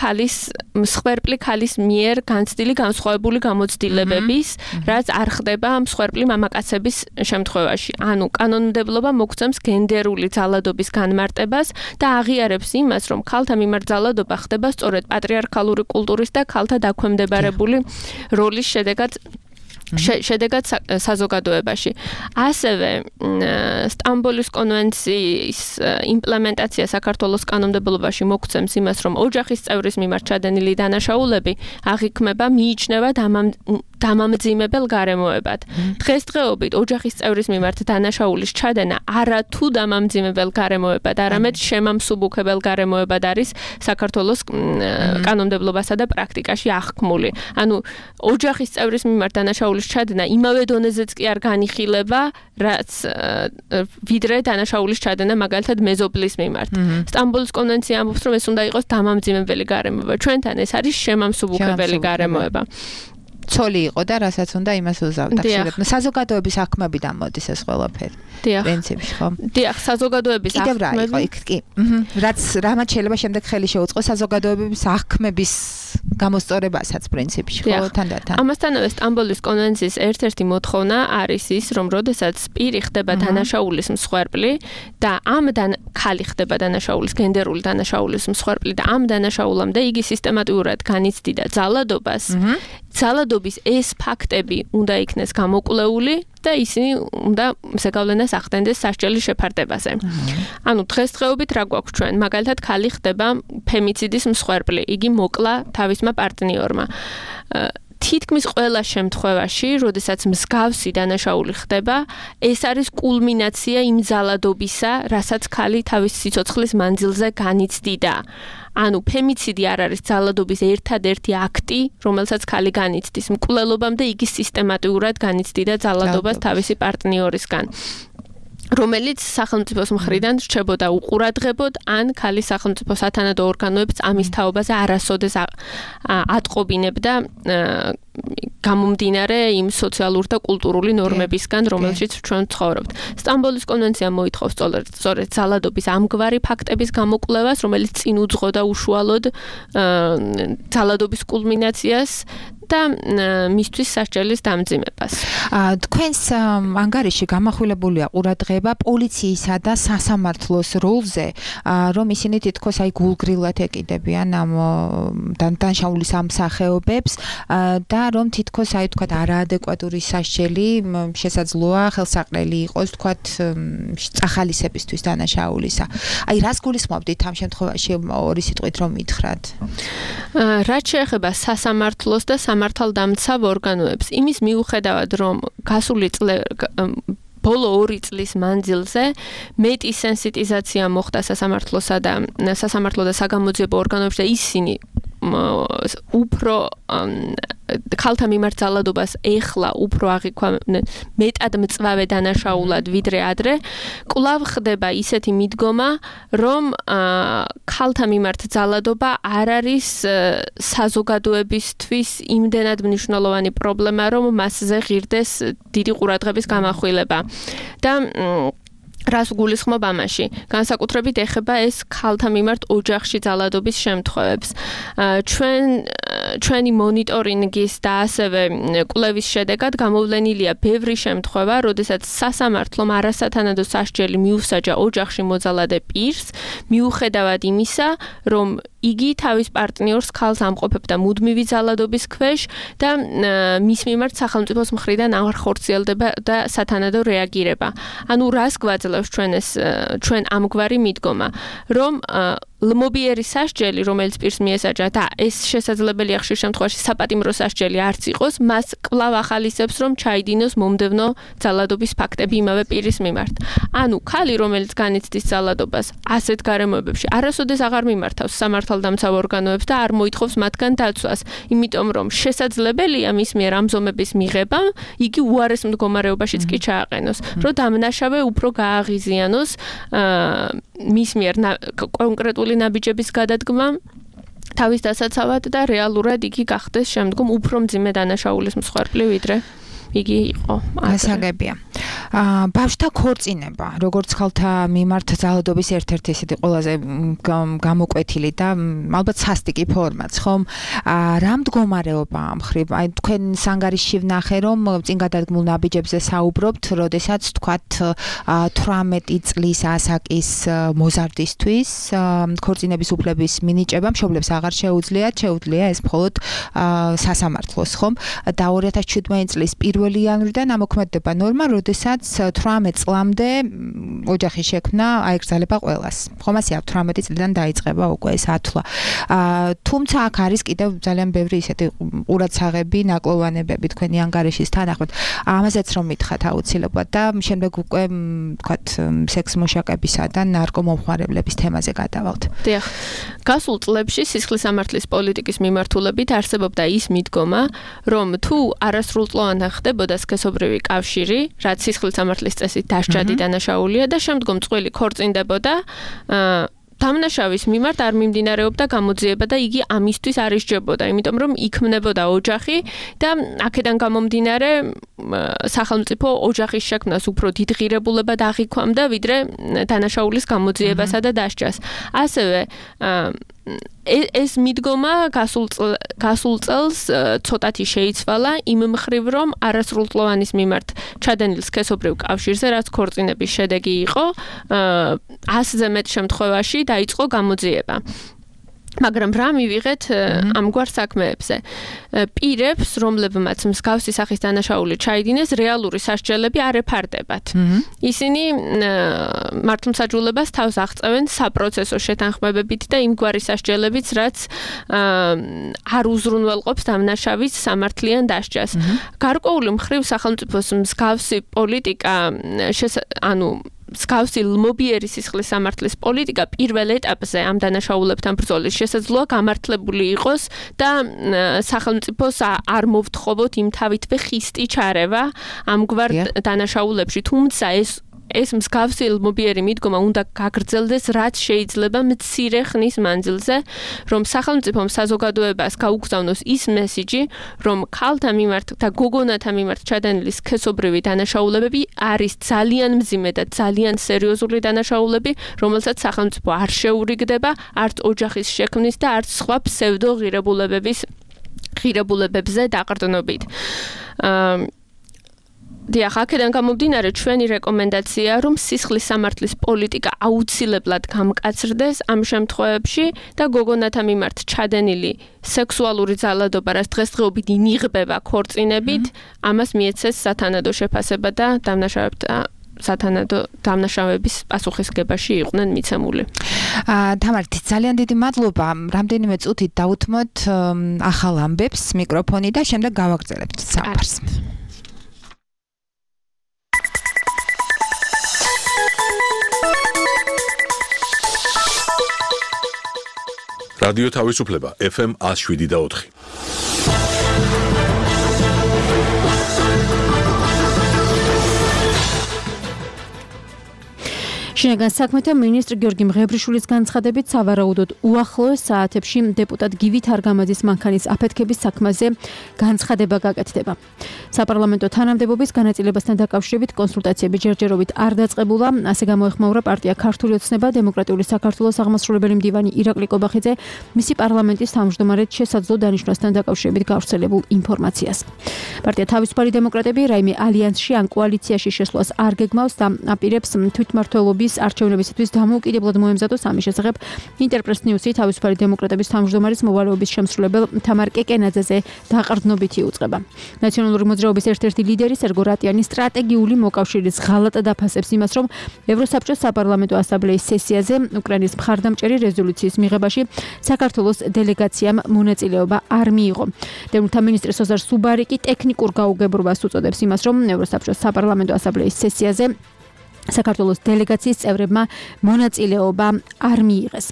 ქალის მიერ განცდილი განსხვავებული გამოცდილებების, რაც არ ხდება მსხვერპლი მამაკაცების შემთხვევაში. ანუ კანონმდებლობა მოგცემს გენდერული ძალადობის განმარტებას და აღიარებს იმას, რომ ქალთა მიმართ ძალადობა ხდება სწორედ პატრიარქალური კულტურის და ქალთა დაქვემდებარებული როლის შედეგად საზოგადოებაში. ასევე სტამბოლის კონვენციის იმპლემენტაცია საქართველოს კანონმდებლობაში მოგცემს იმას, რომ ოჯახის წევრის მიმართ ჩადენილი დანაშაულები აღიქმება, მიიჩნევა დამამძიმებელ გარემოებად. დღესდღეობით ოჯახის წევრის მიმართ დანაშაულის ჩადენა არა თუ დამამძიმებელ გარემოებად, არამედ შემამსუბუქებელ გარემოებად არის საქართველოს კანონმდებლობასა და პრაქტიკაში აღქმული. ანუ ოჯახის წევრის მიმართ დანაშაულის ჩადენა იმავე დონეზეც კი არ განიხილება, რაც ვიდრე დანაშაულის ჩადენა მაგალითად მეზობლის მიმართ. სტამბოლის კონვენცია ამბობს, რომ ეს უნდა იყოს დამამძიმებელი გარემოება. ჩვენთან ეს არის შემამსუბუქებელი გარემოება. ცოლი იყო და რასაც უნდა იმას უზავდა. საზოგადოების აღქმებიდან მოდის ეს ყველაფერი. პრინციპში, ხო? დიახ, საზოგადოების აღქმები. კიდევ რა იყო იქ კი? რაც რამაც შეიძლება შემდეგ ხელი შეუწყოს საზოგადოების აღქმების გამოსწორებასაც პრინციპში, ხო? თანდათან. ამასთანავე სტამბოლის კონვენციის ერთ-ერთი მოთხოვნა არის ის, რომ როდესაც პირი ხდება დანაშაულის მსხვერპლი და ქალი ხდება დანაშაულის, გენდერული დანაშაულის მსხვერპლი და ამ დანაშაულამდე იგი სისტემატურად განიცდიდა ძალადობას, ძალადობის ეს ფაქტები უნდა იქნეს გამოკვლეული და ისინი უნდა ზეგავლენას ახდენდეს სასჯელის შეფარდებაზე. ანუ დღესდღეობით რა გვაქვს ჩვენ? მაგალითად, ქალი ხდება ფემიციდის მსხვერპლი, იგი მოკლა თავისმა პარტნიორმა. თითქმის ყველა შემთხვევაში, როდესაც მსგავსი დანაშაული ხდება, ეს არის კულმინაცია იმ ძალადობისა, რასაც ქალი თავის სიცოცხლის მანძილზე განიცდიდა. ანუ ფემიციდი არ არის ძალადობის ერთადერთი აქტი, რომელსაც ქალი განიცდის. მკვლელობამდე იგი სისტემატურად განიცდიდა ძალადობას თავისი პარტნიორისგან, რომელიც სახელმწიფოს მხრიდან რჩებოდა უყურადღებოდ, ან ქალის სახელმწიფო სათანადო ორგანოებს ამის თაობაზე არასოდეს ატყობინებდა გამომდინარე იმ სოციალურ და კულტურული ნორმებისგან, რომელშიც ჩვენ ცხოვრობთ. სტამბოლის კონვენცია მოითხოვს სწორედ ძალადობის ამგვარი ფაქტების გამოკვლევას, რომელიც წინ უძღოდა უშუალოდ ძალადობის კულმინაციას და მისთვის სასჯელის დამძიმებას. თქვენს ანგარიში გამახვილებულია ყურადღება პოლიციისა და სასამართლოს როლზე, რომ ისინი თითქოს აი გულგრილად ეკიდებიან ამ დანაშაულის ამ სახეობებს და რომ თითქოს აი თქვა არაადეკვატური სასჯელი შესაძლოა ხელსაყრელი იყოს თქვა წახალისებისთვის დანაშაულისა. აი რას გულისხმობდით ამ შემთხვევაში ორი სიტყვით რომ მითხრათ? რაც შეეხება სასამართლოს და სამართალდამცავ ორგანოებს, იმის მიუხედავად რომ გასული ბოლო 2 წლის მანძილზე მეტი სენსიტიზაცია მოხდა სასამართლო და საგამოძიებო ორგანოებში და ისინი უფრო ქალთა მიმართ ძალადობას ეხლა უფრო აღიქვამენ მეტად მწვავე დანაშაულად ვიდრე ადრე, კვლავ ხდება ისეთი მიდგომა, რომ ქალთა მიმართ ძალადობა არ არის საზოგადოებისთვის იმდენად მნიშვნელოვანი პრობლემა, რომ მასზე ღირდეს დიდი ყურადღების გამახვილება. და რას გულისხმობ ამაში? განსაკუთრებით ეხება ეს ქალთა მიმართ ოჯახში ძალადობის შემთხვევებს. ჩვენი მონიტორინგის და ასევე კვლევის შედეგად გამოვლენილია ბევრი შემთხვევა, როდესაც სასამართლომ არასათანადო სასჯელი მიუსაჯა ოჯახში მოძალადე პირს, მიუხედავად იმისა, რომ იგი თავის პარტნიორს ქალს ამყოფებდა მუდმივი ძალადობის ქვეშ და მის მიმართ სახელმწიფოს მხრიდან არ ხორციელდება და სათანადო რეაგირება. ანუ რას გვაძლევს ჩვენ ამგვარი მიდგომა, რომ ლმობიერი სასჯელი, რომელიც პირს მიესაჯა და ეს შესაძლებელია ხშირ შემთხვევაში საპატიმრო სასჯელი არც იყოს, მას კვლავ ახალისებს, რომ ჩაიდინოს მომდევნო ძალადობის ფაქტები იმავე პირის მიმართ. ანუ ქალი, რომელიც განიცდის ძალადობას ასეთ გარემოებებში, არასოდეს აღარ მიმართავს სამართალდამცავ ორგანოებს და არ მოითხოვს მათგან დაცვას, იმიტომ რომ შესაძლებელია მის მიერ ამ ზომების მიღება, იგი უარეს მდგომარეობაშიც კი ჩააყენოს, რომ დამნაშავე უფრო გააღიზიანოს მის მიერ კონკრეტული ნაბიჯების გადადგმა თავის დასაცავად და რეალურად იგი გახდეს შემდგომ უფრო მძიმე დანაშაულის მსხვერპლი ვიდრე იგი იყო. ასაგებია. ბავშვთა ქორწინება, როგორც ხალთა მიმართ ძალადობის ერთ-ერთი ესეთი ყველაზე გამოკვეთილი და ალბათ სასტიკი ფორმაც, ხომ? რა მდგომარეობა ამ ხრივ? აი თქვენ ანგარიში ვნახე, რომ წინ გადადგმულ ნაბიჯებზე საუბრობთ, როდესაც თქვათ 18 წლის ასაკის მოზარდისთვის ქორწინების უფლების მინიჭება მშობლებს აღარ შეუძლია ეს მხოლოდ სასამართლოს, ხომ? და 2017 წლის 1 იანვრიდან ამოქმედდება ნორმა, როდესაც 18 წლამდე ოჯახის შექმნა აეკრძალება ყველას. ხომ ასე 18 წლიდან დაიწყება უკვე ეს ათვლა. თუმცა აქ არის კიდევ ძალიან ბევრი ისეთი ყურადსაღები, ნაკლოვანებები თქვენი ანგარიშის თანახმად. ამაზეც რომ მითხრათ აუცილებლად და შემდეგ უკვე ვთქვათ სექს მუშაკებისა და ნარკომომხმარებლების თემაზე გადავალთ. დიახ. გასულ წლებში სისხლის სამართლის პოლიტიკის მიმართულებით არსებობდა ის მიდგომა, რომ თუ არასრულწლოვანი ხდებოდა სქესობრივი კავშირი, რაც სისხლის სამართლის წესით დასჯადი დანაშაულია და შემდგომ წყვილი ქორწინდებოდა, დამნაშავის მიმართ არ მიმდინარეობდა გამოძიება და იგი ამისთვის არ ისჯებოდა, იმიტომ რომ იქმნებოდა ოჯახი და აქედან გამომდინარე სახელმწიფო ოჯახის შექმნას უფრო დიდ ღირებულებად აღიქვამდა, ვიდრე დანაშაულის გამოძიებასა და დასჯას. ასევე ეს მიდგომა გასულ წელს ცოტათი შეიცვალა იმ მხრივ, რომ არასრულწლოვანის მიმართ ჩადენილ სქესობრივ კავშირზე, რაც ქორწინების შედეგი იყო, 100-ზე მეტ შემთხვევაში დაიწყო გამოძიება. მაგრამ რა მივიღეთ ამგვარ საქმეებზე? პირებს, რომლებმაც მსგავსი სახის დანაშაული ჩაიდინეს, რეალური სასჯელები არ ეფარდებათ. ისინი მართლმსაჯულებას თავს აღწევენ საპროცესო შეთანხმებებით და იმგვარი სასჯელებიც, რაც არ უზრუნველყოფს დამნაშავის სამართლიან დასჯას. გარკვეული მხრივ სახელმწიფოს მსგავსი პოლიტიკა მსგავსი ლმობიერი სისხლის სამართლის პოლიტიკა პირველ ეტაპზე ამ დანაშაულებთან ბრძოლის შესაძლოა გამართლებული იყოს და სახელმწიფოს არ მოვთხოვოთ იმ თავითვე ხისტი ჩარევა ამგვარ დანაშაულებში, თუმცა ეს მსგავსი ლმობიერი მიდგომა უნდა გაგრძელდეს, რაც შეიძლება მცირე ხნის მანძილზე, რომ სახელმწიფომ საზოგადოებას გაუგზავნოს ის მესიჯი, რომ ქალთა მიმართ და გოგონათა მიმართ ჩადენილი სქესობრივი დანაშაულებები არის ძალიან მძიმე და ძალიან სერიოზული დანაშაულები, რომელსაც სახელმწიფო არ შეურიგდება არც ოჯახის შექმნის და არც სხვა ფსევდო ღირებულებების ღირებულებებზე დაყრდნობით. დიახ, აქედან გამომდინარე ჩვენი რეკომენდაცია, რომ სისხლის სამართლის პოლიტიკა აუცილებლად გამკაცრდეს ამ შემთხვევებში და გოგონათა მიმართ ჩადენილი სექსუალური ძალადობა, რაც დღესდღეობით ინიღბება ქორწინებით, ამას მიეცეს სათანადო შეფასება და დამნაშავების პასუხისგებაში იყვნენ მიცემული. თამარ, ძალიან დიდი მადლობა. რამდენიმე წუთით დავუთმოთ ახალ ამბებს მიკროფონი და შემდეგ გავაგრძელებთ საუბარს. რადიო თავისუფლება FM 107.4. შინაგან საქმეთა მინისტრ გიორგი მღებრიშვილის განცხადებით სავარაუდოდ უახლოეს საათებში დეპუტატ გივი თარგამაძის მანქანის აფეთქების საქმეზე განცხადება გაკეთდება. საპარლამენტო თანამდებობის განაწილებასთან დაკავშირებით კონსულტაციები ჯერჯერობით არ დაწყებულა, ასე გამოეხმაურა პარტია ქართული ოცნება დემოკრატიული საქართველოს აღმასრულებელი მდივანი ირაკლი კობახიძე მისი პარლამენტის თავმჯდომარედ შესაძლო დანიშვნასთან დაკავშირებით გავრცელებულ ინფორმაციას. პარტია თავისუფალი დემოკრატები რაიმე ალიანსში ან კოალიციაში შესვლას არ გეგმავს და აპირებს თვითმმართველობის არჩევნებისათვის დამოუკიდებლად მოემზადოს ამის შესახებ ინტერპრეს ნიუსი თავისუფალი დემოკრატების თავმჯდომარის მოვალეობის შემსრულებელ თამარ კეკენაძეზე დაყრდნობითი უწყება. ნაციონალური მოძრაობის ერთ-ერთი ლიდერი სერგო რატიანი სტრატეგიული მოკავშირის ღალატად აფასებს იმას, რომ ევროსაბჭოს საპარლამენტო ასამბლეის სესიაზე უკრაინის მხარდამჭერი რეზოლუციის მიღებაში საქართველოს დელეგაციამ მონაწილეობა არ მიიღო. დევნილთა მინისტრი სოზარ სუბარიკი ტექნიკურ გაუგებრობას უწოდებს იმას, რომ ევროსაბჭოს საპარლამენტო ასამბლეის სესიაზე საქართველოს დელეგაციის წევრებმა მონაწილეობა არ მიიღეს.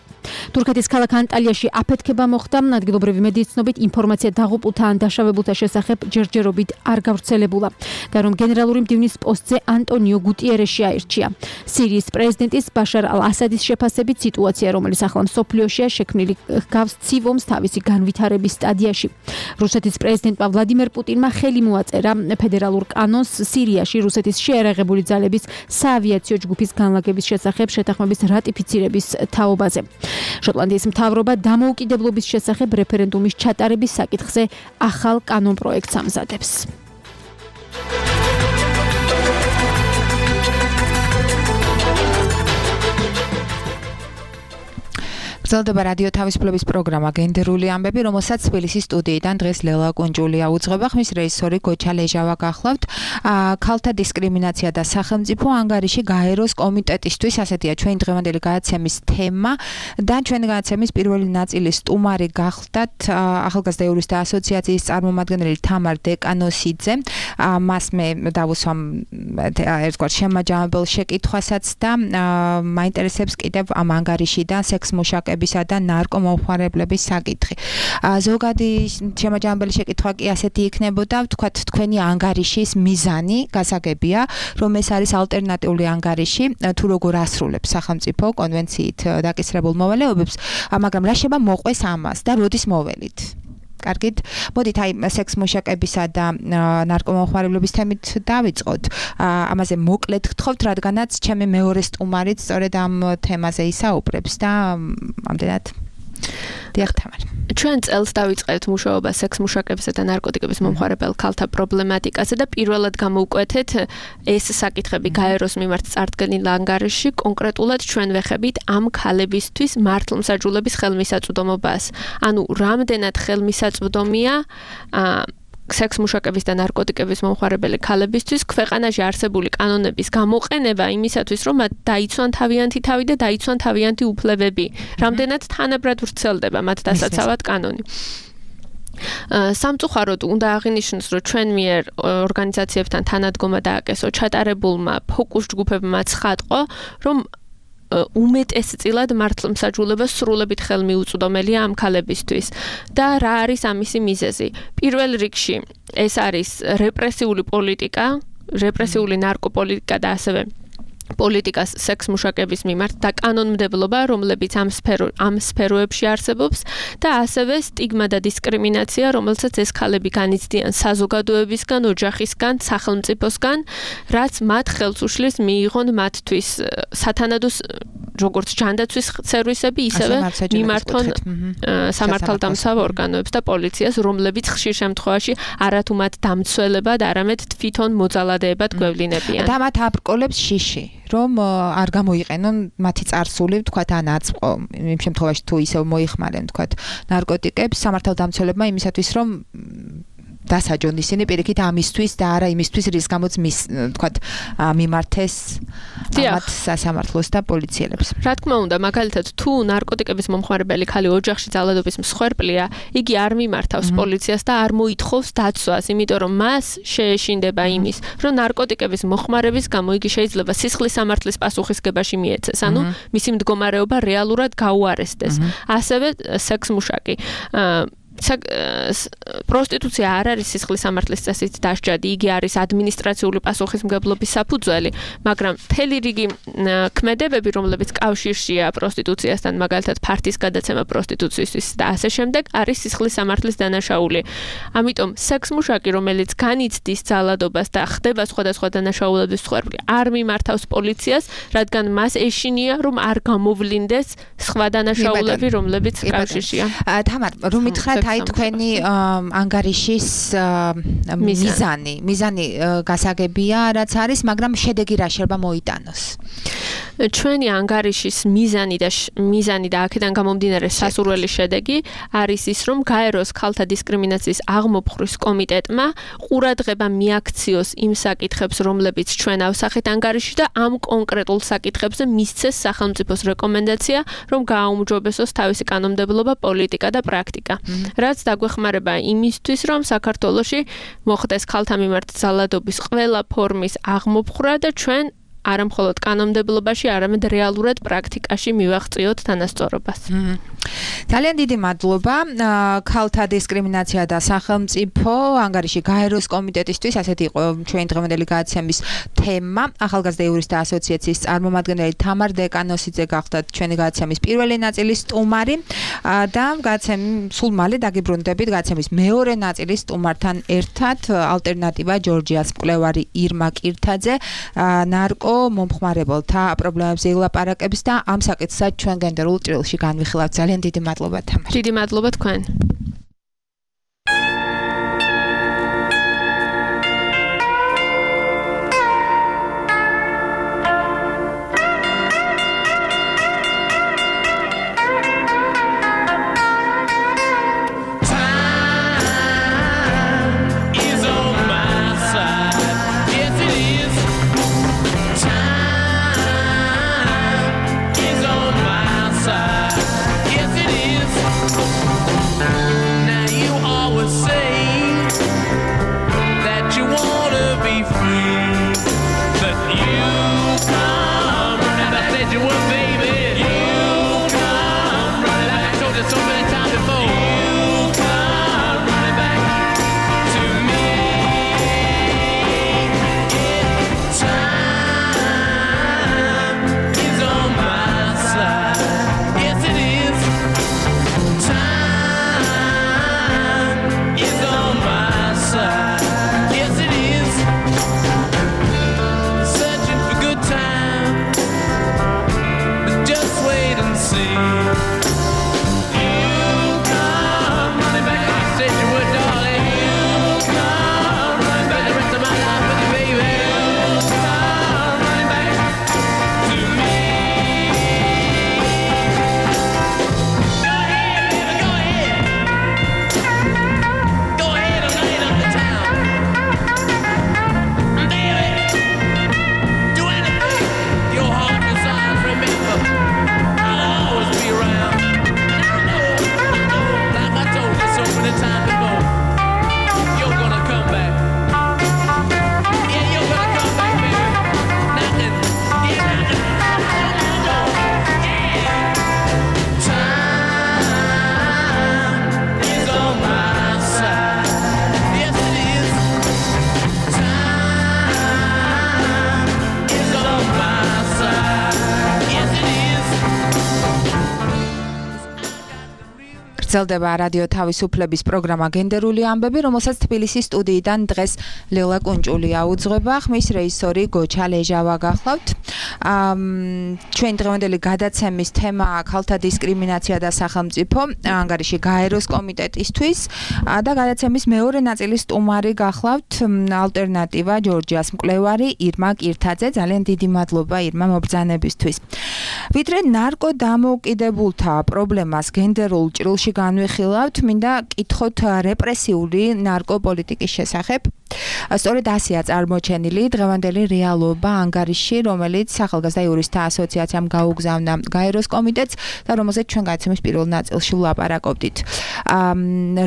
თურქეთის ქალაქ ანტალიაში აფეთქება მოხდა, ადგილობრივი მედიის ცნობით ინფორმაცია დაღუპულთა ან დაშავებულთა შესახებ ჯერჯერობით არ გავრცელებულა. გარომ გენერალური მდივნის პოსტზე ანტონიო გუტიერეში აირჩია. სირიის პრეზიდენტის ბაშარ ალ-ასადის შეფასებით სიტუაცია, რომელიც ახლა მსოფლიოშია შექმნილი, ჰგავს ცივ ომს თავისი განვითარების სტადიაში. რუსეთის პრეზიდენტმა ვლადიმერ პუტინმა ხელი მოაწერა ფედერალურ კანონს სირიაში რუსეთის შეერაღებული ძალების საავიაციო ჯგუფის განლაგების შესახებ შეთანხმების რატიფიცირების თაობაზე. შოტლანდიის მთავრობა დამოუკიდებლობის შესახებ რეფერენდუმის ჩატარების საკითხზე ახალ კანონპროექტს ამზადებს. გრძელდება რადიო თავისუფლების პროგრამა გენდერული ამბები, რომელსაც თბილისის სტუდიიდან დღეს ლელა კუნჭულია უძღვება. ხმის რეჟისორი გოჩა ლეჟავა გახლავთ. ქალთა დისკრიმინაცია და სახელმწიფო ანგარიში გაეროს კომიტეტისთვის, ასეთია ჩვენი დღევანდელი გადაცემის თემა და ჩვენი გადაცემის პირველი ნაწილის სტუმარი გახლდათ ახალგაზრდა იურისტთა ასოციაციის წარმომადგენელი თამარ დეკანოსიძე. მას მე დავუსვამ ერთგვარ შემაჯამებელ შეკითხვასაც და მაინტერესებს კიდევ ამ ანგარიშიდან სექს-მუშაკების და ნარკომომხმარებლების საკითხი. ზოგადი შემაჯამებელი შეკითხვა კი ასეთი იქნებოდა, ვთქვათ, თქვენი ანგარიშის მიზანი გასაგებია, რომ ეს არის ალტერნატიული ანგარიში, თუ როგორ ასრულებს სახელმწიფო კონვენციით დაკისრებულ მოვალეობებს, მაგრამ რა შეება მოყვეს ამას და როდის მოველით? კარგით, მოდით აი სექს-მუშაკებისა და ნარკომომხმარებლების თემით დავიწყოთ. ამაზე მოკლედ გთხოვთ, რადგანაც ჩემი მეორე სტუმარიც სწორედ ამ თემაზე ისაუბრებს და ამდენად დიახ თამარ. ჩვენ წელს დავიწყეთ მუშაობა სექს-მუშაკებისა და ნარკოტიკების მომხმარებელ ქალთა პრობლემატიკაზე და პირველად გამოვკვეთეთ ეს საკითხები გაეროს მიმართ წარდგენილ ანგარიშში, კონკრეტულად ჩვენ ვეხებით ამ ქალებისთვის მართლმსაჯულების ხელმისაწვდომობას. ანუ რამდენად ხელმისაწვდომია სექს-მუშაკების და ნარკოტიკების მომხმარებელი ქალებისთვის ქვეყანაში არსებული კანონების გამოყენება იმისათვის, რომ მათ დაიცვან თავიანთი თავი და დაიცვან თავიანთი უფლებები. რამდენად თანაბრად ვრცელდება მათ დასაცავად კანონი. სამწუხაროდ უნდა აღინიშნოს, რომ ჩვენ მიერ ორგანიზაციებთან თანადგომა დააკესო ჩატარებულმა ფოკუს ჯგუფებმა ცხადყო, რომ უმეტესწილად მართლმსაჯულება სრულებით ხელმიუწვდომელია ამ ქალებისთვის და რა არის ამისი მიზეზი. პირველ რიგში ეს არის რეპრესიული პოლიტიკა, რეპრესიული ნარკოპოლიტიკა და ასევე პოლიტიკას სექს-მუშაკების მიმართ და კანონმდებლობა, რომლებიც ამ სფეროებში არსებობს და ასევე სტიგმა და დისკრიმინაცია, რომელსაც ეს ქალები განიცდიან საზოგადოებისგან, ოჯახისგან, სახელმწიფოსგან, რაც მათ ხელს უშლის მიიღონ მათთვის სათანადო როგორც ჯანდაცვის სერვისები, ისევე მიმართონ სამართალდამცავ ორგანოებს და პოლიციას, რომლებიც ხშირ შემთხვევაში არათუ მათ დამცველებად, არამედ თვითონ მოძალადეებად გვევლინებიან. და მათ აბრკოლებს შიში, რომ არ გამოიყენონ მათი წარსული, თქვათ, ან აწყო, იმ შემთხვევაში თუ ისევ მოიხმარენ, თქვათ, ნარკოტიკებს სამართალდამცველებმა იმისათვის, რომ დასაჯონ ისინი პირიქით ამისთვის და არა იმისთვის, რის გამოც თქვათ, მიმართეს მათ სასამართლოს და პოლიციელებს. რა თქმა უნდა, მაგალითად, თუ ნარკოტიკების მომხმარებელი ქალი ოჯახში ძალადობის მსხვერპლია, იგი არ მიმართავს პოლიციას და არ მოითხოვს დაცვას, იმიტომ რომ მას შეეშინდება იმის, რომ ნარკოტიკების მოხმარების გამო იგი შეიძლება სისხლის სამართლის პასუხისგებაში მიეცეს, ანუ მისი მდგომარეობა რეალურად გაუარესდეს. ასევე სექსმუშაკი პროსტიტუცია არ არის სისხლის სამართლის წესით დასჯადი, იგი არის ადმინისტრაციული პასუხისმგებლობის საფუძველი, მაგრამ მთელი რიგი ქმედებები, რომლებიც კავშირშია პროსტიტუციასთან, მაგალითად ფართის გადაცემა პროსტიტუციისთვის და ასე შემდეგ, არის სისხლის სამართლის დანაშაული. ამიტომ სექსმუშაკი, რომელიც განიცდის ძალადობას და ხდება სხვადასხვა დანაშაულების მსხვერპლი, არ მიმართავს პოლიციას, რადგან მას ეშინია, რომ არ გამოვლინდეს სხვა დანაშაულები, რომლებიც კავშირშია. თამარ, რომ მითხრათ აი თქვენი ანგარიშის მიზანი გასაგებია, რაც არის, მაგრამ შედეგი რა შეიძლება მოიტანოს? ჩვენი ანგარიშის მიზანი და აქედან გამომდინარე სასურველი შედეგი არის ის, რომ გაეროს ქალთა დისკრიმინაციის აღმოფხრის კომიტეტმა ყურადღება მიაქციოს იმ საკითხებს, რომლებიც ჩვენ ავსახეთ ანგარიში და ამ კონკრეტულ საკითხებზე მისცეს სახელმწიფოს რეკომენდაცია, რომ გააუმჯობესოს თავისი კანონმდებლობა, პოლიტიკა და პრაქტიკა. რაც დაგვეხმარება იმისთვის, რომ საქართველოში მოხდეს ქალთა მიმართ ძალადობის ყველა ფორმის აღმოფხვრა და ჩვენ არა მხოლოდ კანონმდებლობაში, არამედ რეალურად პრაქტიკაში მივაღწიოთ თანასწორობას. ძალიან დიდი მადლობა ქალთა დისკრიმინაცია და სახელმწიფო ანგარიში გაეროს კომიტეტისთვის, ასეთი იყო ჩვენი დღევანდელი გადაცემის თემა. ახალგაზრდა იურისტთა ასოციაციის წარმომადგენელი თამარ დეკანოსიძე გახდათ ჩვენი გადაცემის პირველი ნაწილის სტუმარი და სულ მალე დაგიბრუნდებით გადაცემის მეორე ნაწილის სტუმართან ერთად, ალტერნატივა ჯორჯიას მკვლევარი ირმა კირთაძე ნარკო მომხმარებელთა პრობლემებზე ილაპარაკებს და ამ საკითხსაც ჩვენ გენდერულ ჭრილში განვიხილავთ. ძალიან დიდი მადლობა თამარ. დიდი მადლობა თქვენ. გრძელდება რადიო თავისუფლების პროგრამა გენდერული ამბები, რომელსაც თბილისის სტუდიიდან დღეს ლელა კუნჭულია უძღვება, ხმის რეჟისორი გოჩა ლეჟავა გახლავთ. ჩვენ დღევანდელი გადაცემის თემაა ქალთა დისკრიმინაცია და სახელმწიფო, ანგარიში გაეროს კომიტეტისთვის და გადაცემის მეორე ნაწილის სტუმარი გახლავთ ალტერნატივა ჯორჯიას მკვლევარი ირმა კირთაძე. ძალიან დიდი მადლობა ირმა მობრძანებისთვის. ვიდრე ნარკოდამოუკიდებულთა პრობლემას გენდერულ ჭრილში განვიხილავთ, მინდა კითხოთ რეპრესიული ნარკოპოლიტიკის შესახებ. სწორედ ასეა წარმოჩენილი დღევანდელი რეალობა ანგარიში, რომელიც ახალგაზრდა იურისტთა ასოციაციამ გაუგზავნა გაეროს კომიტეტს და რომელზეც ჩვენ გადაცემის პირველ ნაწილში ვლაპარაკობდით.